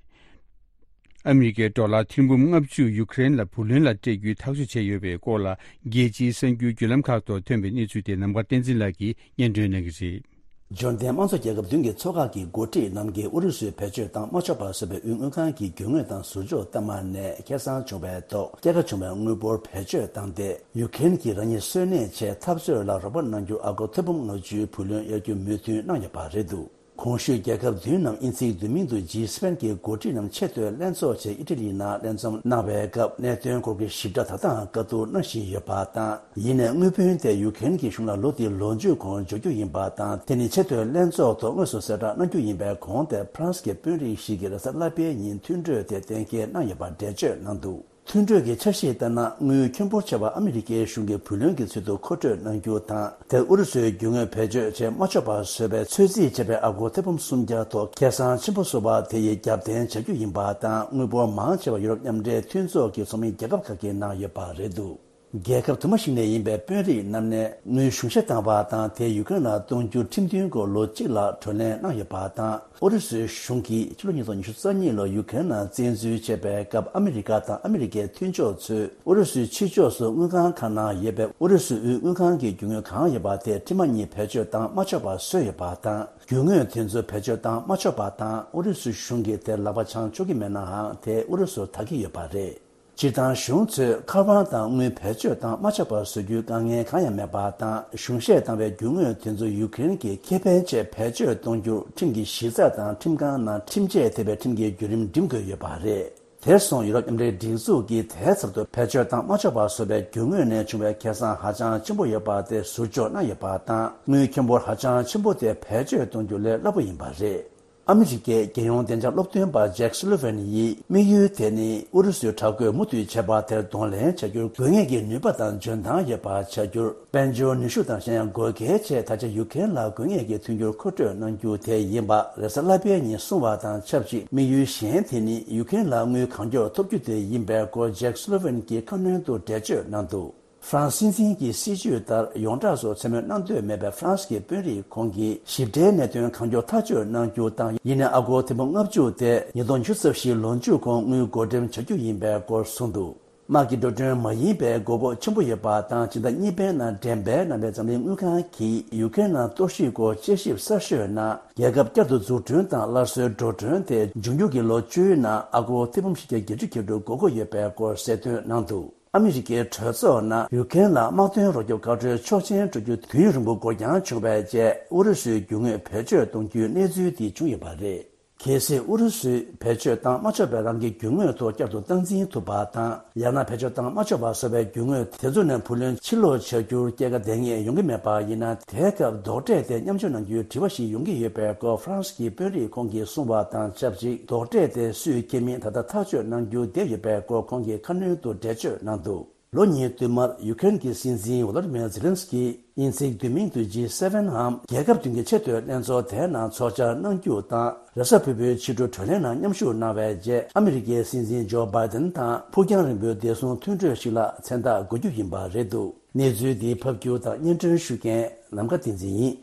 ཨ་མི་རི་ཀའི་ཌོ་ལར་ཐེར་འབུམ་ལྔ་བཅུ་ཡུ་ཀེ་རེན་ལ་བུ་ལོན་ལ་སྤྲད་རྒྱུའི་ཐག་གཅོད་བྱས་ཡོད་པའི་སྐོར་ལ། རྒྱལ་སྤྱིའི་གསར་འགྱུར་བརྒྱུད་ལམ་ཁག་ཐོག་ཐོན་པའི་གནས་ཚུལ་དེ་ནམ་མཁའ་བསྟན་འཛིན་ལགས་ཀྱིས་སྙན་སྒྲོན་གནང་གི་རེད། འབྱོར་ལྡན་དམངས་གཙོ་རྒྱལ་ཁབ་བདུན་གྱི་ཚོགས་ཁག་གི་འགོ་ཁྲིད་རྣམས་ཀྱིས་ཨུ་རུ་སུས་བེད་སྤྱོད་བཏང་མ་ཆོག་པ་བཟོས་པའི་དབུས་དངུལ་ཁང་གི་རྒྱུ་དངོས་དང་ཟུར་འཇོག་གཏའ་མ་ནས་ཁེ་བཟང་བྱུང་བའི་ཐོག་སྐྱེད་ཀ་བྱུང་བའི་དངུལ་འབོར་བེད་སྤྱོད་བཏང་སྟེ། ཡུ་ཀེ་རེན་གྱིས་རང་ཉིད་གསོན་གནས་ཆེད་འཐབ་རྩོད་ལ་རོགས་པ་གནང་རྒྱུ་ཨ་སྒོར་ཐེར་འབུམ་ལྔ་བཅུའི་བུ་ལོན་གཡར་རྒྱུ་མོས་མཐུན་གནང་ཡོད་པ་རེད་འདུག་གོང་ཞུས་རྒྱལ་ཁབ་བདུན་ནམ་དབྱིན་ཚིག་བསྡུས་མིང་དུ་ཇི་སི་པེན་གྱི་འགོ་ཁྲིད་རྣམས་ཆེས་མཐོའི་ལྷན་ཚོགས་ཆེད་ཨི་ཊ་ལི་ནང་ལྷན་འཛོམས་གནང་བའི་སྐབས། གནད་དོན་སྐོར་གྱི་ཞིབ་ཕྲ་ད་ལྟའང་བཀའ་བསྡུར་གནང་བཞིན་ཡོད་པ་དང་། ཡིན་ནའི་དངུལ་བུན་དེ་ཡུ་ཀེ་རེན་གྱི་གཞུང་ལ་ལོ་འདིའི་ལོ་མཇུག་གོང་འབྱོར་རྒྱུ་ཡིན་པ་དང་། དེ་ནི་ཆེས་མཐོའི་ལྷན་ཚོགས་ཐོག་དངོས་སུ་གསལ་བསྒྲགས་གནང་རྒྱུ་ཡིན་པའི་གོང་དེ་ཕ་རན་སི་གི་དཔོན་རིགས་ཤིག་གིས་རེས་གཟའ་ལྷག་པའི་ཉིན་མཐུན་གྲོས་དེ་གཏན་འཁེལ་གནང་ཡོད་པ་འགྲེལ་བརྗོད་གནང་འདུག་མཐུན་གྲོས་ཀྱི་འཆར་གཞི་ལྟར་ན། དངུལ་ཁྱོན་པོར་ཆེ་བ་ཨ་མི་རི་ཀའི་གཞུང་གི་བུ་ལོན་གྱི་ཚུལ་དུ་མཁོ་སྤྲོད་གནང་རྒྱུ་དང་། དེར་ཨུ་རུ་སུའི་རྒྱུ་དངོས་བེད་སྤྱོད་བྱེད་མ་ཆོག་པ་བཟོས་པའི་ཚོད་རྩིས་བྱས་པའི་ཨ་སྒོར་ཐེར་འབུམ་སུམ་བརྒྱ་ཐོག་ཁེ་བཟང་ཆེན་པོ་བཟོ་བ་དེ་ཡི་རྒྱབ་རྟེན་བྱ་རྒྱུ་ཡིན་པ་དང་། དངུལ་འབོར་མང་ཆེ་བ་ཡུ་རོབ་མཉམ་འབྲེལ་མཐུན་ཚོགས་ཀྱི་ཚོགས་མི་རྒྱལ་ཁབ་ཁག་གིས་གནང་ཡོད་པ་རེད་འདུག་རྒྱལ་ཁབ་དུ་མ་ཞིག་ནས་ཡིན་པའི་དཔོན་རིགས་རྣམས་ནས་དངུལ་གཞུང་བཞེས་བཏང་བ་དང་། དེ་ཡུ་ཀེ་རེན་ལ་གཏོང་རྒྱུ་ཁྲིམས་མཐུན་སྐོར་ལོ་གཅིག་ལ་གྲོས་གླེང་གནང་ཡོད་པ་དང་། ཨུ་རུ་སུའི་གཞུང་གིས་ཕྱི་ལོ་ཉིས་སྟོང་ཉི་ཤུ་རྩ་གཉིས་ལོར་ཡུ་ཀེ་རེན་ནང་བཙན་འཛུལ་བྱས་པའི་སྐབས། ཨ་མི་རི་ཀ་དང་ཨ་མི་རི་ཀའི་མཐུན་ཕྱོགས་ཚོས་ཨུ་རུ་སུའི་ཕྱི་ཕྱོགས་སུ་དངུལ་ཁང་ཁག་ནང་ཡོད་པའི་ཨུ་རུ་སུའི་དབུས་དངུལ་ཁང་གི་རྒྱུ་དངོས་གང་ཡོད་པ་དེ་འཕྲལ་མ་ཉིད་བེད་སྤྱོད་བཏང་མ་ཆོག་པ་བཟོས་ཡོད་པ་དང་། རྒྱུ་དངོས་དེ་ཚོ་བེད་སྤྱོད་བཏང་མ་ཆོག་པ་དང་། ཨུ་རུ་སུའི་གཞུང་གིས་དེར་ལག་པ་འཆང་ཆོག་གི་མེད་ནའང་། དེ་ཨུ་རུ་སུར་ད་གི་ཡོད་པ་རེད། སྤྱིར་བཏང་གཞུང་ཚོས་མཁར་དབང་དང་དངུལ་བེད་སྤྱོད་བཏང་མ་ཆོག་པ་བཟོ་རྒྱུའི་དཀའ་ངལ་གང་ཡང་མེད་པ་དང་། གཞུང་བཞེས་བཏང་བའི་རྒྱུ་དངོས་དེ་ཚོ་ཡུ་ཀེ་རེན་གྱི་ཁེ་ཕན་ཆེད་བེད་སྤྱོད་གཏོང་རྒྱུར་ཁྲིམས་ཀྱི་གཞི་རྩ་དང་ཁྲིམས་ཁང་ནང་ཁྲིམས་ཆད་ཐེབས་པའི་ཁྲིམས་ཀྱི་བརྒྱུད་རིམ་འགྲིམ་དགོས་ཡོད་པ་རེད། དེར་སོང་ཡུ་རོབ་མཉམ་འབྲེལ་སྒྲིག་འཛུགས་ཀྱིས་དེའི་ཚབ་ཏུ་བེད་སྤྱོད་བཏང་མ་ཆོག་པ་བཟོ་བའི་རྒྱུ་དངོས་ནས་བྱུང་བའི་ཁེ་བཟང་ཧ་ཅང་ཆེན་པོ་ཡོད་པ་དེ་ཟུར་འཇོག་གནང་ཡོད་པ་དང་། དངུལ་ཁྱོན་པོ་ཧ་ཅང་ཆེན་པོ་དེ་བེད་སྤྱོད་གཏོང་རྒྱུ་ལས་སླ་པོ་ཡིན་པ་རེད། ཨ་མི་རི་ཀའི་རྒྱལ་ཡོངས་བདེ་འཇགས་སློབ་སྟོན་པ་ཇེག་སུ་ལི་ཝན་ཡིས། དམིགས་ཡུལ་དེ་ནི་ཨུ་རུ་སུའི་དྲག་རྒོལ་མུ་མཐུད་བྱས་པ་དེར་གདོང་ལེན་བྱ་རྒྱུར་དགོས་ངེས་ཀྱི་ནུས་པ་དང་འཇོན་ཐང་ཡོད་པ་བྱ་རྒྱུར། དཔལ་འབྱོར་ནུས་ཤུགས་དང་གཞན་ཡང་དགོས་གལ་ཆེ། ད་ཆ་ཡུ་ཀེ་རེན་ལ་དགོས་ངེས་ཀྱི་མཐུན་འགྱུར་མཁོ་སྤྲོད་གནང་རྒྱུ་དེ་ཡིན་པ་རེས་གཟའ་ལྷག་པའི་ཉིན་གསུངས་པ་དང་ཆབས་ཅིག་དམིགས་ཡུལ་གཞན་དེ་ནི་ཡུ་ཀེ་རེན་ལ་དངུལ་གང་མགྱོགས་ཐོབ་རྒྱུ་དེ་ཡིན་པའི་སྐོར་ཇེག་སུ་ལི་ཝན་གྱིས་ཁ་སྣོན་དུ་འགྲེལ་བརྗོད་གནང་འདུག་ཧྥ་རན་སི་སྲིད་འཛིན་གྱི་སྲིད་ཇུས་ལྟར་ཡོངས་གྲགས་སུ་མཚན་སྨོད་གནང་འདོད་མེད་པའི་ཧྥ་རན་སི་གི་དཔོན་རིགས་ཁོང་གིས་ཞིབ་ཕྲའི་གནད་དོན་གང་མགྱོགས་ཐག་གཅོད་གནང་རྒྱུ་དང་། ཡིན་ནའི་ཨ་སྒོར་ཐེར་འབུམ་ལྔ་བཅུ་དེ་ཉིས་སྟོང་ཉི་ཤུ་རྩ་བཞིའི་ལོ་མཇུག་གོང་དངུལ་བགོ་འགྲེམས་བྱ་རྒྱུ་ཡིན་པའི་སྐོར་གསུངས་འདུག་དམག་གི་འགྲོ་གྲོན་མ་ཡིན་པའི་དགོས་མཁོ་ཆེན་པོ་ཡོད་པ་དང་། སྤྱི་ཟླ་གཉིས་པའི་ནང་འགྲེམས་སྤེལ་གནང་བའི་འཛམ་གླིང་དངུལ་ཁང་གིས་ཡུ་ཀེ་རེན་ནང་གཏོར་བཤིག་སྐོར་དཔྱད་ཞིབ་གསར་ཤོས་ནང་། རྒྱལ་ཁབ་བསྐྱར་དུ་འཛུགས་སྐྲུན་དང་སླར་གསོའི་འགྲོ་གྲོན་དེ་འབྱུང་འགྱུར་གྱི་ལོ་བཅུའི་ནང་ཨ་སྒོར་ཐེར་འབུམ་བཞི་བརྒྱ་བརྒྱད་ཅུ་གྱ་དྲུག་དགོས་མཁོ་ཡོད་པའི་སྐོར་གསལ་སྟོན་གནང་འདུག་ཨ་མི་རི་ཀའི་གྲོས་ཚོགས་ནང་ཡུ་ཀེ་རེན་ལ་དམག་དོན་རོགས་སྐྱོབ་བཀའ་འཁྲོལ་ཆོག་མཆན་སྤྲོད་རྒྱུ་དུས་ཡུན་རིང་པོ་འགོར་འགྱངས་བྱུང་བའི་རྗེས། ཨུ་རུ་སུའི་རྒྱུ་དངོས་བེད་སྤྱོད་གཏོང་རྒྱུའི་གནས་ཚུལ་འདི་བྱུང་ཡོད་པ་རེད། གལ་སྲིད་ཨུ་རུ་སུས་བེད་སྤྱོད་བཏང་མ་ཆོག་པའི་རང་གི་རྒྱུ་དངོས་ཐོག་བསྐྱར་དུ་སྟངས་འཛིན་ཐུབ་པ་དང་། ཡང་ན་བེད་སྤྱོད་བཏང་མ་ཆོག་པ་བཟོ་བའི་རྒྱུ་དངོས་དེ་ཚོ་ནས་བུ་ལོན་ཕྱིར་སློག་བྱ་རྒྱུར་སྐྱེད་ཀ་ལྡང་ངེས་ཡོང་གི་མེད་པ་ཡིན་ན། དེའི་སྐབས་རྡོག་ཁྲེས་དེ་མཉམ་སྤྱོད་གནང་རྒྱུའི་དྲི་བ་ཞིག་ཡོང་གི་ཡོད་པའི་སྐོར་ཧྥ་རན་སི་གི་དཔོན་རིགས་ཁོང་གིས་གསུངས་པ་དང་ཆབས་ཅིག་རྡོག་ཁྲེས་དེ་སུས་འཁྱེར་མིན་ད་ལྟ་ཐག་གཅོད་གནང་རྒྱུ་བསྡད་ཡོད་པའི་སྐོར་ཁོང་གིས་ཁ་སྣོན་དུ་འགྲེལ་བརྗོད་གནང་འདུག་ལོ་གཉིས་བསྟུད་མར་ཡུ་ཀེ་རེན་གྱི་སྲིད་འཛིན་ཝོ་ལོ་ཌི་མིར་ཛེ་ལན་སི་ཀི་དབྱིན་ཚིག་བསྡུས་མིང་དུ་ཇི་སེ་ཝེན་འམ། རྒྱལ་ཁབ་བདུན་གྱི་ཆེས་མཐོའི་ལྷན་ཚོགས་དེའི་ནང་ཚོགས་བཅར་གནང་རྒྱུ་དང་། རེས་གཟའ་ཕུར་བུའི་ཕྱི་དྲོ་གྲོས་གླེང་ནང་མཉམ་ཞུགས་གནང་བའི་རྗེས། ཨ་མི་རི་ཀའི་སྲིད་འཛིན་ཇོ་བྷའི་ཏན་དང་ཕུགས་རྒྱང་རིང་པོའི་བདེ་སྲུང་མཐུན་གྲོས་ཤིག་ལ་མཚན་རྟགས་འགོད་རྒྱུ་ཡིན་པ་རེད་འདུག་གནས་ཚུལ་འདི་ཕབ་སྒྱུར་དང་སྙན་སྒྲོན་ཞུ་མཁན་ནམ་མཁའ་བསྟན་འཛིན་ཡིན།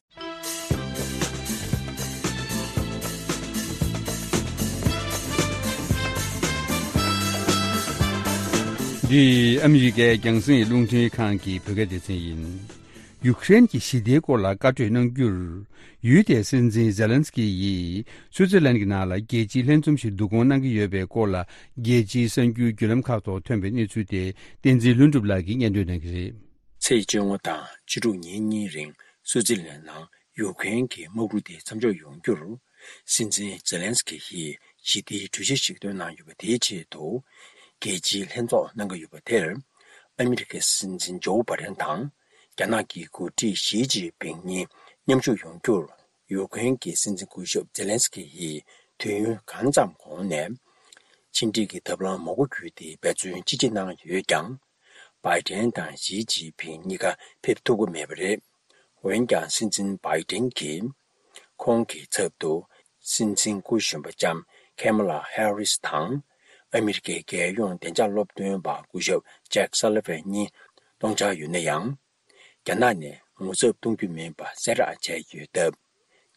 འདི་ཨ་མི་རི་ཀའི་རྒྱང་སྲིང་རླུང་འཕྲིན་ཁང་གི་བོད་སྐད་སྡེ་ཚན་ཡིན། ཡུཀ་རེན་གྱི་ཞི་བདེའི་སྐོར་ལ་བཀའ་གྲོས་གནང་རྒྱུར། ཡུལ་དེའི་སྲིད་འཛིན་ཛེ་ལན་སི་ཀི་ཡིས་སུའུ་ཙི་ལན་གྱི་ནང་ལ་རྒྱལ་སྤྱིའི་ལྷན་འཛོམས་ཤིག་བསྡུ་སྐོང་གནང་གི་ཡོད་པའི་སྐོར་ལ། རྒྱལ་སྤྱིའི་གསར་འགྱུར་བརྒྱུད་ལམ་ཁག་ཐོག་ཐོན་པའི་གནས་ཚུལ་དེ། བསྟན་འཛིན་ལྷུན་གྲུབ་ལགས་ཀྱིས་སྙན་སྒྲོན་གནང་གི་རེད། ཚེས་བཅོ་ལྔ་དང་བཅུ་དྲུག་ཉིན་གཉིས་རིང་སུའུ་ཙི་ལན་ནང་ཡུཀ་རེན་གྱི་དམག་འཁྲུག་དེ་མཚམས་འཇོག་ཡོང་རྒྱུར། སྲིད་འཛིན་ཛེ་ལན་སི་ཀི་ཡིས་ཞི་བདེའི་གྲོས་གཞི་ཞིག་བཏོན་གནང་ཡོད་པ་དེའི་ཆེད་དུ། རྒྱལ་སྤྱིའི་ལྷན་ཚོགས་གནང་གི་ཡོད་པ་དེར། ཨ་མི་རི་ཀའི་སྲིད་འཛིན་ཇོ་བྷའི་ཌེན་དང་། རྒྱ་ནག་གི་འགོ་ཁྲིད་ཞི་ཅིན་ཕིང་གཉིས་མཉམ་ཞུགས་ཡོང་རྒྱུར། ཡུཀ་རེན་གྱི་སྲིད་འཛིན་སྐུ་ཞབས་ཛེ་ལན་སི་ཀི་ཡིས་དུས་ཡུན་གང་ཙམ་གོང་ནས། ཕྱི་འབྲེལ་གྱི་ཐབས་ལམ་མང་པོ་བརྒྱུད་དེ་འབད་བརྩོན་ཅི་ཆེ་གནང་ཡོད་ཀྱང་། བྷའི་ཌེན་དང་ཞི་ཅིན་ཕིང་གཉིས་ཀ་ཕེབས་ཐུབ་ཀྱི་མེད་པ་རེད། འོན་ཀྱང་སྲིད་འཛིན་བྷའི་ཌེན་གྱིས། ཁོང་གི་ཚབ་ཏུ་སྲིད་འཛིན་སྐུ་གཞོན་པ་ལྕམ་ཁེ་མ་ལ་ཧེ་རིས་དང་། ཨ་མི་རི་ཀའི་རྒྱལ་ཡོངས་བདེ་འཇགས་སློབ་སྟོན་པ་སྐུ་ཞབས་ཇེག་སཱ་ལི་ཝན་གཉིས་གཏོང་འཆར་ཡོད་ན་ཡང་། རྒྱ་ནག་ནས་ངོ་ཚབ་གཏོང་རྒྱུ་མིན་པ་གསལ་བསྒྲགས་བྱས་ཡོད་སྟབས།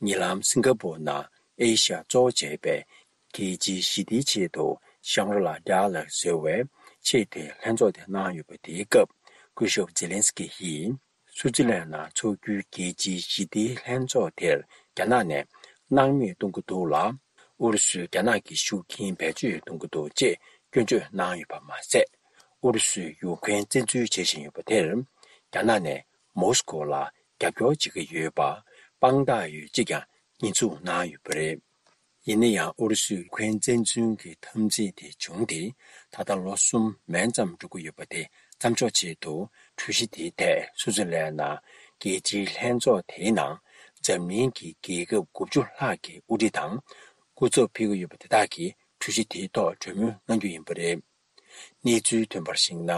ཉེ་ལམ་སིང་ག་པོར་ནང་ཨེ་ཤ་ཡ་གཙོ་བོ་བྱས་པའི་རྒྱལ་སྤྱིའི་ཞི་བདེའི་ཆེད་དུ་ཤང་རི་ལ་ཌི་ཡ་ལོག་ཟེར་བའི་ཆེས་མཐོའི་ལྷན་ཚོགས་དེ་གནང་ཡོད་པ་དེའི་སྐབས། སྐུ་ཞབས་ཛེ་ལན་སི་ཀི་ཡིས་སུའུ་ཙི་ལན་ནང་འཚོགས་རྒྱུའི་རྒྱལ་སྤྱིའི་ཞི་བདེའི་ལྷན་ཚོགས་དེར་རྒྱ་ནག་ནས་སྣང་མེད་གཏོང་གི་འདུག་ལ། ཨུ་རུ་སུས་རྒྱ་ནག་གི་ཤུགས་རྐྱེན་བེད་སྤྱོད་གཏོང་གི་འདུག་ཅེས་སྐྱོན་བརྗོད་གནང་ཡོད་པ་མ་ཟད། ཨུ་རུ་སུས་ཡུཀ་རེན་བཙན་འཛུལ་བྱེད་བཞིན་ཡོད་པ་དེར། རྒྱ་ནག་ནས་མོ་སི་ཀོ་ལ་རྒྱབ་སྐྱོར་བྱེད་ཀྱི་ཡོད་པ་དཔང་རྟགས་ཡོད་ཅེས་ཀྱང་ཉེས་འཛུགས་གནང་ཡོད་པ་རེད། ཡིན་ན་ཡང་ཨུ་རུ་སུས་ཡུཀ་རེན་བཙན་འཛུལ་གྱི་འཐབ་འཛིང་དེ་བྱུང་སྟེ། ད་ལྟ་ལོ་གསུམ་མན་ཙམ་འགྲོ་གི་ཡོད་པ་དེ་མཚམས་འཇོག་ཆེད་དུ། གྲོས་གཞི་དེའི་ཐད་སུའུ་ཙི་ལན་ནང་རྒྱལ་སྤྱིའི་ལྷན་ཚོགས་དེའི་ནང་། འཛམ་གླིང་གི་རྒྱལ་ཁབ་དགུ་བཅུ་ལྷག་གི་དབུ་ཁྲིད་དང་། སྐུ་ཚབ་ཕེབས་ཀྱི་ཡོད་པ་དེ་དག་གིས་གྲོས་གཞི་དེའི་ཐོག་གྲོས་མོལ་གནང་རྒྱུ་ཡིན་པ་རེད། གནས་ཚུལ་ཐོན་པར་གཞིགས་ན།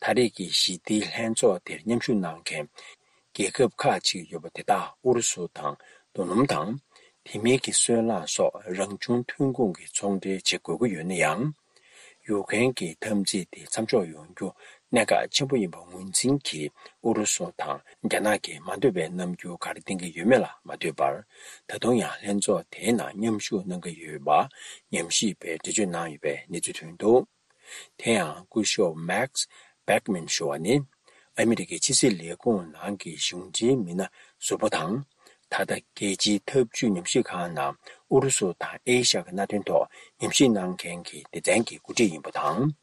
ད་རེས་ཀྱི་ཞི་བདེའི་ལྷན་ཚོགས་དེར་མཉམ་ཞུགས་གནང་མཁན་རྒྱལ་ཁབ་ཁག་ཅིག་ཡོད་པ་དེ་དག་ཨུ་རུ་སུ་དང་། རྡོ་སྣུམ་དང་། དེ་མིན་གྱི་སོལ་རླངས་སོགས་རང་བྱུང་ཐོན་ཁུངས་ཀྱི་ཚོང་འབྲེལ་བྱེད་དགོས་ཀྱི་ཡོད་ན་ཡང་། ཡུཀ་རེན་གྱི་འཐབ་འཛིང་དེ་མཚམས་འཇོག་ཡོང་རྒྱུ་གནད་འགག་ཆེན་པོ་ཡིན་པ་ངོས་འཛིན་གྱིས། ཨུ་རུ་སུ་དང་རྒྱ་ནག་གིས་མ་འདོད་པའི་རྣམ་འགྱུར་ག་རེ་བསྟན་གྱི་ཡོད་མེད་ལ་མ་ལྟོས་པར། ད་དུང་ཡང་ལྷན་ཚོགས་དེའི་ནང་མཉམ་ཞུགས་གནང་གི་ཡོད་པ་ཉམས་ཞིབ་པས་འགྲེལ་བརྗོད་གནང་ཡོད་པའི་གནས་ཚུལ་ཐོན་འདུག་དེ་ཡང་སྐུ་ཞབས་མེག་སི་བྷེག་མན་ཞུ་བ་ནི། ཨ་མི་རི་ཀའི་ཕྱི་སྲིད་ལས་ཁུངས་ནང་གི་གཞུང་འབྲེལ་མི་སྣ་ཟུར་པ་དང་། ད་ལྟ་རྒྱལ་སྤྱིའི་འཐབ་ཇུས་ཉམས་ཞིབ་ཁང་ནང་ཨུ་རུ་སུ་དང་ཨེ་ཤ་ཡ་གི་གནད་དོན་ཐོག་ཉམས་ཞིབ་གནང་མཁན་གྱི་སྡེ་ཚན་གྱི་འགོ་ཁྲིད་ཡིན་པ་དང་།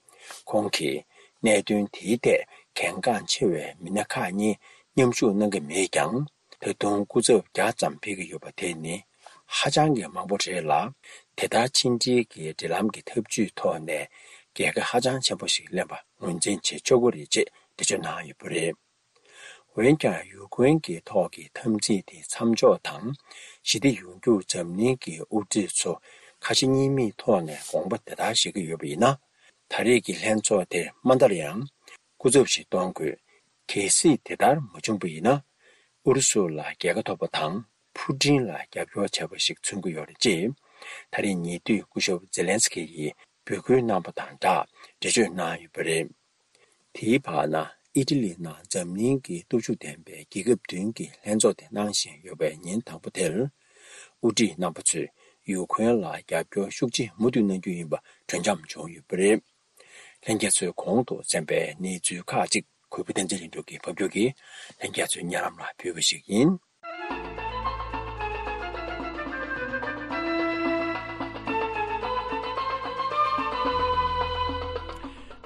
ཁོང་གིས་གནད་དོན་དེའི་ཐད་གལ་འགངས་ཆེ་བའི་མི་སྣ་ཁག་གཉིས་མཉམ་ཞུགས་གནང་གི་མེད་ཀྱང་། ད་དུང་སྐུ་ཚབ་བརྒྱ་ཙམ་ཕེབས་ཀྱི་ཡོད་པ་དེ་ནི་ཧ་ཅང་གི་མང་པོ་རེད་ལ། དེ་ལྟར་ཕྱི་འབྲེལ་གྱི་འབྲེལ་ལམ་གྱི་འཐབ་ཇུས་ཐོག་ནས་རྒྱལ་ཁ་ཧ་ཅང་ཆེན་པོ་ཞིག་ལེན་པ་ངོས་འཛིན་བྱེད་ཆོག་གི་རེད་ཅེས་འགྲེལ་བརྗོད་གནང་ཡོད་པ་རེད། འོན་ཀྱང་ཡུཀ་རེན་གྱི་ཐོག་གི་འཐབ་འཛིང་དེ་མཚམས་འཇོག་དང་། ཞི་བདེ་ཡོང་རྒྱུར་འཛམ་གླིང་གི་དབུ་ཁྲིད་ཚོ་ཁ་ཞེ་གཉིས་མེད་ཐོག་ནས་དགོངས་པ་དེ་ལྟར་བཞེས་ཀྱི་ཡོད་པ་ཡིན་ན། ད་རེས་ཀྱི་ལྷན་ཚོགས་དེར་མ་མཐར་ཡང་སྐུ་ཚབ་ཞིག་གཏོང་དགོས། གལ་སྲིད་དེ་ལྟར་མ་བྱུང་བ་ཡིན་ན། ཨུ་རུ་སུ་ལ་རྒྱལ་ཁ་ཐོབ་པ་དང་ཕུ་ཀྲིན་ལ་རྒྱབ་སྐྱོར་བྱས་པ་ཞིག་མཚོན་གྱི་ཡོད་རེད་ཅེས། ད་རེས་ཉེ་དུས་སྐུ་ཞབས་ཛེ་ལན་སི་ཀི་ཡིས་འབོད་སྐུལ་གནང་པ་དང་སྦྲགས་འགྲེལ་བརྗོད་གནང་ཡོད་པ་རེད། དེའི་བར་ན་ཨི་ཊ་ལི་ནང་འཛམ་གླིང་གི་སྟོབས་ཤུགས་ལྡན་པའི་རྒྱལ་ཁབ་བདུན་གྱི་ལྷན་ཚོགས་དེ་གནང་བཞིན་ཡོད་པའི་ཉིན་དང་པོ་དེར། དབུ་ཁྲིད་རྣམ་པ་ཚོས་ཡུ་ཁུ་རེན་ལ་རྒྱབ་སྐྱོར་ཤུགས་ཆེ་མུ་མཐུད་གནང་རྒྱུ་ཡིན་པ་གྲོས་འཆམ་བྱུང་ཡོད་པ་རེད། ལྷན་རྒྱས་ཚོས་གོང་དུ་གསན་པའི་གནས་ཚུལ་ཁག་ཅིག་གུས་པ་བསྟན་འཛིན་ལྷུན་གྲུབ་ཀྱིས་ཕབ་སྒྱུར་གྱིས་ལྷན་རྒྱས་ཚོའི་སྙན་ལམ་ལ་ཕུལ་བ་ཞིག་ཡིན།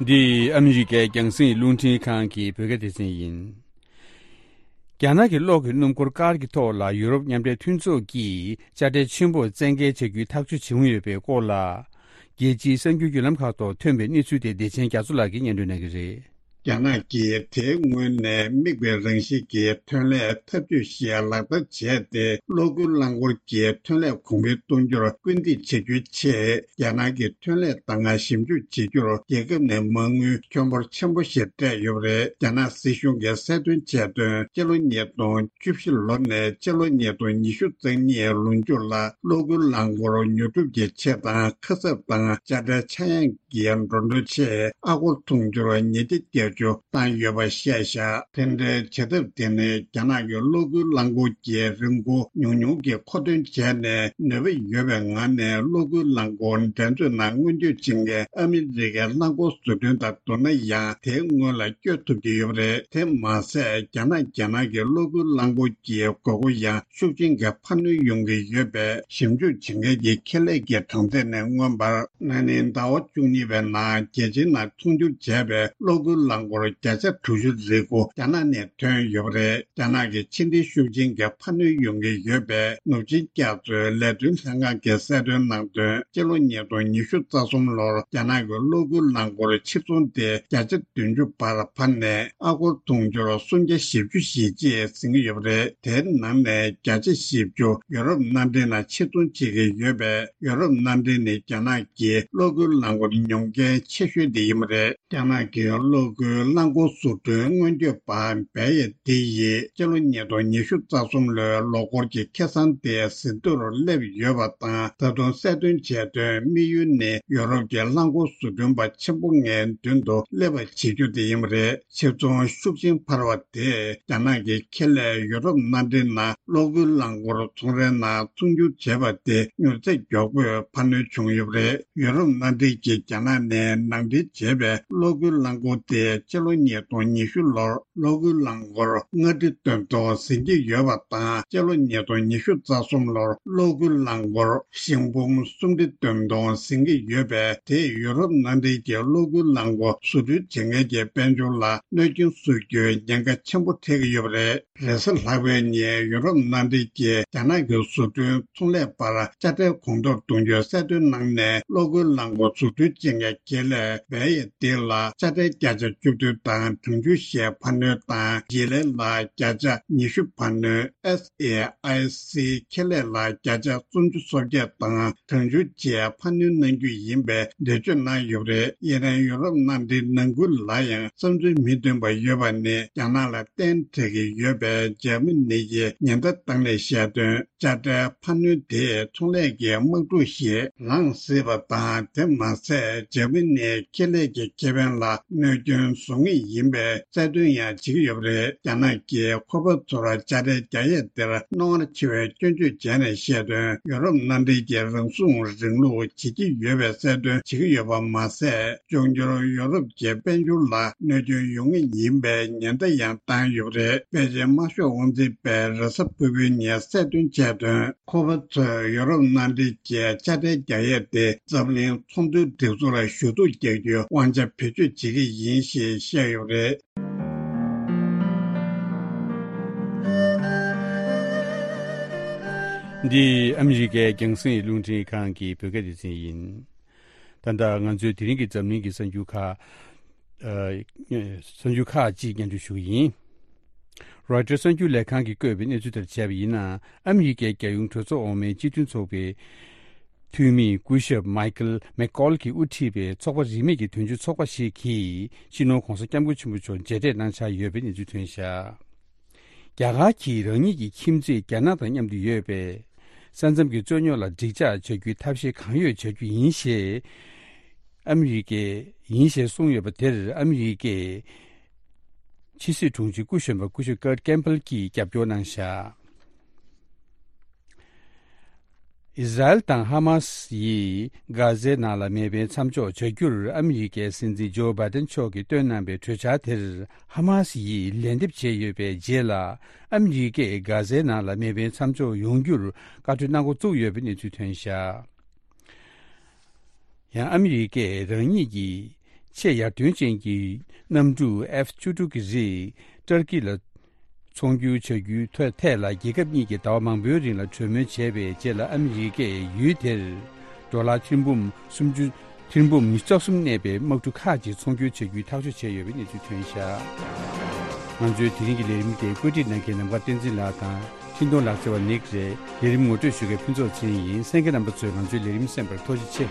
འདི་ཨ་མི་རི་ཀའི་རྒྱང་སྲིང་རླུང་འཕྲིན་ཁང་གི་བོད་སྐད་སྡེ་ཚན་ཡིན། རྒྱ་ནག་གི་གློག་གི་སྣུམ་འཁོར་ཀར་གྱི་ཐོག་ལ་ཡུ་རོབ་མཉམ་འབྲེལ་མཐུན་ཚོགས་ཀྱིས་དཔྱ་ཁྲལ་ཆེན་པོར་བཙན་འགེལ་བྱ་རྒྱུའི་ཐག་གཅོད་བྱུང་ཡོད་པའི་སྐོར་ལ། རྒྱལ་སྤྱིའི་གསར་འགྱུར་བརྒྱུད་ལམ་ཁག་ཐོག་ཐོན་པའི་གནས་ཚུལ་དེ་བདེ་ཆེན་རྒྱ་མཚོ་ལགས་ཀྱིས་སྙན་སྒྲོན་གནང་གི་རེད། རྒྱ་ནག་གིས་དེའི་སྔོན་ནས་དམིགས་པའི་རང་བཞིན་གྱི་ཐོན་ལས་འཐབ་ཇུས་ཤིག་ལག་བསྟར་བྱས་ཏེ། གློག་སྒུལ་རླངས་འཁོར་གྱི་ཐོན་ལས་གོང་འཕེལ་གཏོང་རྒྱུར་སྐུལ་འདེད་བྱ་རྒྱུའི་ཆེད། རྒྱ་ནག་གི་ཐོན་ལས་དང་ཞིབ་འཇུག་བྱེད་རྒྱུར་རྒྱལ་ཁབ་ནས་མ་དངུལ་ཁྱོན་འབོར་ཆེན་པོ་ཞིག་སྤྲད་ཡོད་པ་རེད། རྒྱ་ནག་སྲིད་གཞུང་གིས་གསལ་སྟོན་བྱས་དོན། སྤྱི་ལོ་ཉིས་སྟོང་བཅུ་བཞི་ལོ་ནས་སྤྱི་ལོ་ཉིས་སྟོང་ཉི་ཤུ་རྩ་གཉིས་ལོ་མཇུག་ལ་གློག་སྒུལ་རླངས་འཁོར་ཉོ་སྒྲུབ་ཀྱི་ཆེད་དང་ཁ་གསབ་དང་དཔྱ་ཁྲལ་ཆག་ཡང་གི་འགྲོ་གྲོན་ཆེད་ཨ་སྒོར་དུང་ཕྱུར་ཉིས་བརྒྱ་བརྒྱད་ བཅུ་བཏང་ཡོད་པ་བཤད་བཞག་དེ་འདྲའི་བྱེད་ཐབས་དེ་ནི་རྒྱ་ནག་གི་གློག་སྒུལ་རླངས་འཁོར་གྱི་རིན་གོང་ཉུང་ཉུང་གི་མཁོ་འདོན་བྱས་ནས་ནུས་པ་ཡོད་པའི་ངང་ནས་གློག་སྒུལ་རླངས་འཁོར་འགྲན་རྩོད་ནང་མངོན་བསྟོད་བྱེད་མཁན་ཨ་མི་རི་ཀའི་རླངས་འཁོར་བཟོ་སྐྲུན་དང་བསྡུར་ན་ཡང་དེའི་སྔོན་ལ་བསྐྱོད་ཐུབ་ཀྱི་ཡོད་པ་རེད། དེ་མ་ཟད་རྒྱ་ནག་རྒྱལ་ནང་གི་གློག་སྒུལ་རླངས་འཁོར་གྱི་དགོས་མཁོ་ཡང་ཤུགས་ཆེན་གྱི་འཕར་སྣོན་ཡོང་གི་ཡོད་པའི་ཞིབ་འཇུག་བྱེད་མཁན་གྱི་ཁེ་ལས་ཀྱི་གྲངས་ཚད་ནས་མངོན་པར། ན་ནིང་ཟླ་བ་བཅུ་གཉིས་པའི་ནང་རྒྱལ་སྤྱིའི་ནང་ཚོང་སྒྱུར་བྱས་པའི་གློག་སྒུལ་རླངས་འཁོར་བརྒྱ་ཆ་དྲུག་ཅུ་རེ་དགུ་རྒྱ་ནག་ནས་ཐོན་ཡོད་པ་རེད། རྒྱ་ནག་གི་ཕྱི་འབྲེལ་ཤུགས་ཆེན་གྱི་འཕར་སྣོན་ཡོང་གི་ཡོད་པའི་ནུབ་ཆིངས་རྒྱ་མཚོའི་ལས་དོན་ལྷན་ཁང་གིས་གསལ་སྟོན་གནང་དོན། སྤྱི་ལོ་ཉིས་སྟོང་ཉི་ཤུ་རྩ་གསུམ་ལོར་རྒྱ་ནག་གི་གློག་སྒུལ་རླངས་འཁོར་ཕྱིར་ཚོང་དེ་བརྒྱ་ཆ་བདུན་ཅུ་བར་འཕར་ནས་ཨ་སྒོར་དུང་ཕྱུར་སུམ་བརྒྱ་བཞི་བཅུ་ཞེ་གཅིག་ཟིན་གྱི་ཡོད་པ་རེད། དེའི་ནང་ནས་བརྒྱ་ཆ་བཞི་བཅུ་ཡོ་རོབ་མནའ་འབྲེལ་ནང་ཕྱིར་ཚོང་བྱེད་ཀྱི་ཡོད་པས། ཡོ་རོབ་མནའ་འབྲེལ་ནི་རྒྱ་ནག་གི་གློག་སྒུལ་རླངས་འཁོར་ཉོ་མཁན་ཆེ་ཤོས་དེ་ཡིན་པ་རེད། རྒྱ་ནག་གི་གློག་སྒུལ་རླངས་འཁོར་བཟོ་སྐྲུན་སྔོན་སྐྱོད་པ་བེ་ཡེ་ཏི་ཡིས་སྤྱི་ལོ་ཉིས་སྟོང་ཉི་ཤུ་རྩ་གསུམ་ལོའི་ལོ་འཁོར་གྱི་ཁེ་བཟང་དེ་ཟིན་ཐོར་སླེབས་ཡོད་པ་དང་། ད་དུང་གསལ་སྟོན་བྱས་དོན། དམིགས་ཡུལ་ནི་ཡོ་རོབ་ཀྱི་རླངས་འཁོར་བཟོ་སྐྲུན་པ་ཆེན་པོ་ལྔའི་མདུན་དུ་སླེབས་པ་བྱེད་རྒྱུ་དེ་ཡིན་པ་རེད། ཕྱིར་ཚོང་ཤུགས་ཆེན་འཕར་བ་དེས་རྒྱ་ནག་གི་ཁེ་ལས་ཡོ་རོབ་མནའ་འབྲེལ་ནང་གློག་སྒུལ་རླངས་འཁོར་ཚོང་རའི་ནང་ཚོང་སྒྱུར་བྱས་པ་དེ་མྱུར་ཚད་མགྱོགས་པོས་འཕར་སྣོན་བྱུང་ཡོད་པ་རེད། ཡོ་རོབ་མནའ་འབྲེལ་གྱིས་རྒྱ་ནག་ནས་ནང་འདྲེན་བྱས་པའི་གློག་སྒུལ་རླངས་འཁོར་དེ་སྤྱི་ལོ་ཉིས་སྟོང་ཉི་ཤུ་ལོར་གློག་སྒུལ་རླངས་འཁོར་ལྔ་ཁྲི་བདུན་སྟོང་ཟིན་གྱི་ཡོད་པ་དང་། སྤྱི་ལོ་ཉིས་སྟོང་ཉི་ཤུ་རྩ་གསུམ་ལོར་གློག་སྒུལ་རླངས་འཁོར་ཤིང་འབུམ་སུམ་ཁྲི་བདུན་སྟོང་ཟིན་གྱི་ཡོད་པས། དེས་ཡོ་རོབ་མནའ་འབྲེལ་གྱི་གློག་སྒུལ་རླངས་འཁོར་བཟོ་སྐྲུན་བྱེད་མཁན་གྱི་དཔལ་འབྱོར་ལ་གནོད་སྐྱོན་བཟོ་རྒྱུའི་ཉེན་ཁ་ཆེན་པོ་འཕྲད་ཀྱི་ཡོད་པ་རེད། རེས་གཟའ་ལྷག་པའི་ཉིན་ཡུ་རོབ་མནའ་འབྲེལ་གྱིས་རྒྱ་ནག་གི་བཟོ་སྐྲུན་ཚོང་ལས་པར་དཔྱ་ཁྲལ་གོང་མཐོར་གཏོང་རྒྱུའི་གསལ་སྟོན་གནང་ནས། གློག་སྒུལ་རླངས་འཁོར་བཟོ་སྐྲུན་བྱེད་མཁན་ཁེ་ལས་བེ་ཡེ་ཏི་ལ་དཔྱ་ཁྲལ་བརྒྱ་ཆ་བཅུ་བདུན་དང་གྲངས་ཆུང་ཞེས་འཕར་སྣོན་དང་། ཇི་ལེ་ལ་བརྒྱ་ཆ་ཉི་ཤུ་འཕར་སྣོན། ཨེས་ཨེ་ཨའི་སི་ཁེ་ལས་ལ་བརྒྱ་ཆ་སུམ་ཅུ་སོ་བརྒྱད་དང་གྲངས་ཆུང་ཅེས་འཕར་སྣོན་གནང་རྒྱུ་ཡིན་པའི་འགྲེལ་བརྗོད་གནང་ཡོད་པ་རེད། ཡིན་ནའང་ཡུ་རོབ་མནའ་འབྲེལ་ནང་ཁུལ་ལ་ཡང་བསམ་ཚུལ་མི་མཐུན་པ་ཡོད་པ་ནི་རྒྱ་ནག་ལ་བརྟེན་འགྲིག་གི་ཡོད་པའི་འཇར་མ་ནི་ཡིས་ཉེན་བརྡ་བཏང་ནས་བཤད་དོན། དཔྱ་ཁྲལ་འཕར་སྣོན་དེས་ཚོང་ལས་ཀྱི་དམག་འཁྲུག་ཞིག་ལངས་སྲིད་པ་དང་། དེ་མ་ཟད་འཇར་མ་ནིའི་ཁེ་ལས་ཀྱི་ཁེ་ཕན་ལ་གནོད་སྐྱོན་བཟོ་ངེས་ཡིན་པའི་གསལ་སྟོན་ཡང་བྱེད་ཀྱི་ཡོད་པ་རེད། རྒྱ་ནག་གིས་ཁོ་པ་ཚོར་དཔྱ་ཁྲལ་རྒྱག་ཡས་དེར་རྣོ་ངར་ཆེ་བའི་སྐྱོན་བརྗོད་བྱས་ནས་བཤད་དོན། ཡོ་རོབ་མནའ་འབྲེལ་གྱིས་རང་སྲུང་རིང་ལུགས་བྱེད་ཀྱི་ཡོད་པའི་གསལ་སྟོན་བྱེད་ཀྱི་ཡོད་པ་མ་ཟད། འབྱུང་འགྱུར་ཡོ་རོབ་ཀྱི་དཔལ་འབྱོར་ལ་གནོད་སྐྱོན་ཡོང་ངེས་ཡིན་པའི་ཉེན་བརྡ་ཡང་བཏང་ཡོད་པ་རེད། པེ་ཅིན་དམར་ཤོག་དབང་འཛིན་པས་རེས་གཟའ་ཕུར་བུའི་ཉིན་གསལ་སྟོན་བྱས་དོན། ཁོ་པ་ཚོས་ཡོ་རོབ་མནའ་འབྲེལ་གྱི་དཔྱ་ཁྲལ་རྒྱག་ཡས་དེ་འཛམ་གླིང་ཚོང་དོན་སྒྲིག་འཛུགས་ལ་ཞུ་གཏུག་རྒྱག་རྒྱུའི་དབང་ཆ་བེད་སྤྱོད་བྱེད་ཀྱི་ཡིན་ཞེས་བཤད་ཡོད་པ་རེད། འདི་ཨ་མི་རི་ཀའི་རྒྱང་སྲིང་རླུང་འཕྲིན་ཁང་གི་བོད་སྐད་སྡེ་ཚན་ཡིན། ད་ལྟ་ང་ཚོའི་དེ་རིང་གི་འཛམ་གླིང་གི་གསར་འགྱུར་ཁག་ཨ། གསར་འགྱུར་ཁག་ཅིག་སྙན་སྒྲོན་ཞུ་གི་ཡིན། རོའི་ཊར་གསར་འགྱུར་ལས་ཁང་གིས་བཀོད་པའི་གནས་ཚུལ་ལྟར་བྱས་པ་ཡིན་ན། ཨ་མི་རི་ཀའི་རྒྱལ་ཡོངས་གྲོས་ཚོགས་འོག་མའི་སྤྱི་མཐུན་ཚོགས་པའི་འཐུས་མི་སྐུ་ཞབས་མའི་ཀལ་མེག་ཀོལ་གྱིས་དབུ་ཁྲིད་པའི་ཚོགས་པ་རིས་མེད་ཀྱི་དོན་གཅོད་ཚོགས་པ་ཞིག་གིས་སྤྱི་ནོར་༧གོང་ས་༧སྐྱབས་མགོན་ཆེན་པོ་མཆོག་མཇལ་འཕྲད་གནང་འཆར་ཡོད་པའི་གནས་ཚུལ་ཐོན་བཞག་རྒྱ་གར་གྱིས་རང་ཉིད་ཀྱི་ཁྱིམ་མཚེས་རྒྱ་ནག་དང་མཉམ་དུ་ཡོད་པས། ས་མཚམས་ཀྱི་རྩོད་རྙོག་ལ་འགྲིག་འཇགས་བྱ་རྒྱུའི་ཐབས་ཤེས་གང་ཡོད་བྱ་རྒྱུ་ཡིན་ཞེས། ཨ་མི་རི་ཀས་ཡིན་ཞེས་གསུངས་ཡོད་པ་དེར་ཨ་མི་རི་ཀའི་ཕྱི་སྲིད་དྲུང་ཆེ་སྐུ་གཞོན་པ་སྐུ་ཞབས་ཀར་ཀེམ་པལ་གྱིས་རྒྱབ་སྐྱོར་གནང་བཞག་ཨིས་ར་ཨེལ་དང་ཧ་མ་སི་ཡིས་གྷ་ཟའི་ནང་ལ་མེ་འཕེན་མཚམས་འཇོག་བྱ་རྒྱུར་ཨ་མི་རི་ཀའི་སྲིད་འཛིན་ཇོ་བྷའི་ཏན་མཆོག་གིས་བཏོན་གནང་བའི་གྲོས་འཆར་དེར་ཧ་མ་སི་ཡིས་ལན་འདེབས་བྱས་ཡོད་པའི་རྗེས་ལ། ཨ་མི་རི་ཀས་གྷ་ཟའི་ནང་ལ་མེ་འཕེན་མཚམས་འཇོག་ཡོང་རྒྱུར་བཀའ་འཁྲོལ་གནང་འགོ་བཙུགས་ཡོད་པའི་གནས་ཚུལ་ཐོན་བཞག་ཡང་ཨ་མི་རི་ཀས་རང་ཉིད་ཀྱི་ཆེས་ཡར་ཐོན་ཅན་གྱི་གནམ་གྲུ་ཨེཕ་བཅུ་དྲུག་གི་རིགས་ཏུར་ཀི་ལ་ཚོང་སྒྱུར་བྱ་རྒྱུའི་ཐད་ཐད་ལ་རྒྱལ་ཁབ་གཉིས་ཀྱིས་ཟླ་བ་མང་པོའི་རིང་ལ་གྲོས་མོལ་བྱས་པའི་རྗེས་ལ། ཨ་མི་རི་ཀས་ཡུལ་དེར་ཌོ་ལར་ཐེར་འབུམ་སུམ་ཅུ་ཐེར་འབུམ་ཉི་ཤུ་རྩ་གསུམ་གནས་པའི་དམག་གྲུ་ཁག་ཅིག་ཚོང་སྒྱུར་བྱ་རྒྱུའི་ཐག་གཅོད་བྱས་ཡོད་པའི་གནས་ཚུལ་ཐོན་བཞག་ང་ཚོའི་དེ་རིང་གི་ལས་རིམ་དེ་བཀོད་སྒྲིག་གནང་མཁན་ནམ་མཁའ་བསྟན་འཛིན་ལགས་དང་། འཕྲིན་གཏོང་ལག་རྩལ་བ་ནིག་རེད། ལས་རིམ་ངོ་སྤྲོད་ཞུ་མཁན་ཕུན་ཚོགས་ཚེ་རིང་ཡིན། གསན་མཁན་རྣམ་པ་ཚོས་ང་ཚོའི་ལས་རིམ་གསན་པར་ཐུགས་རྗེ་ཆེ།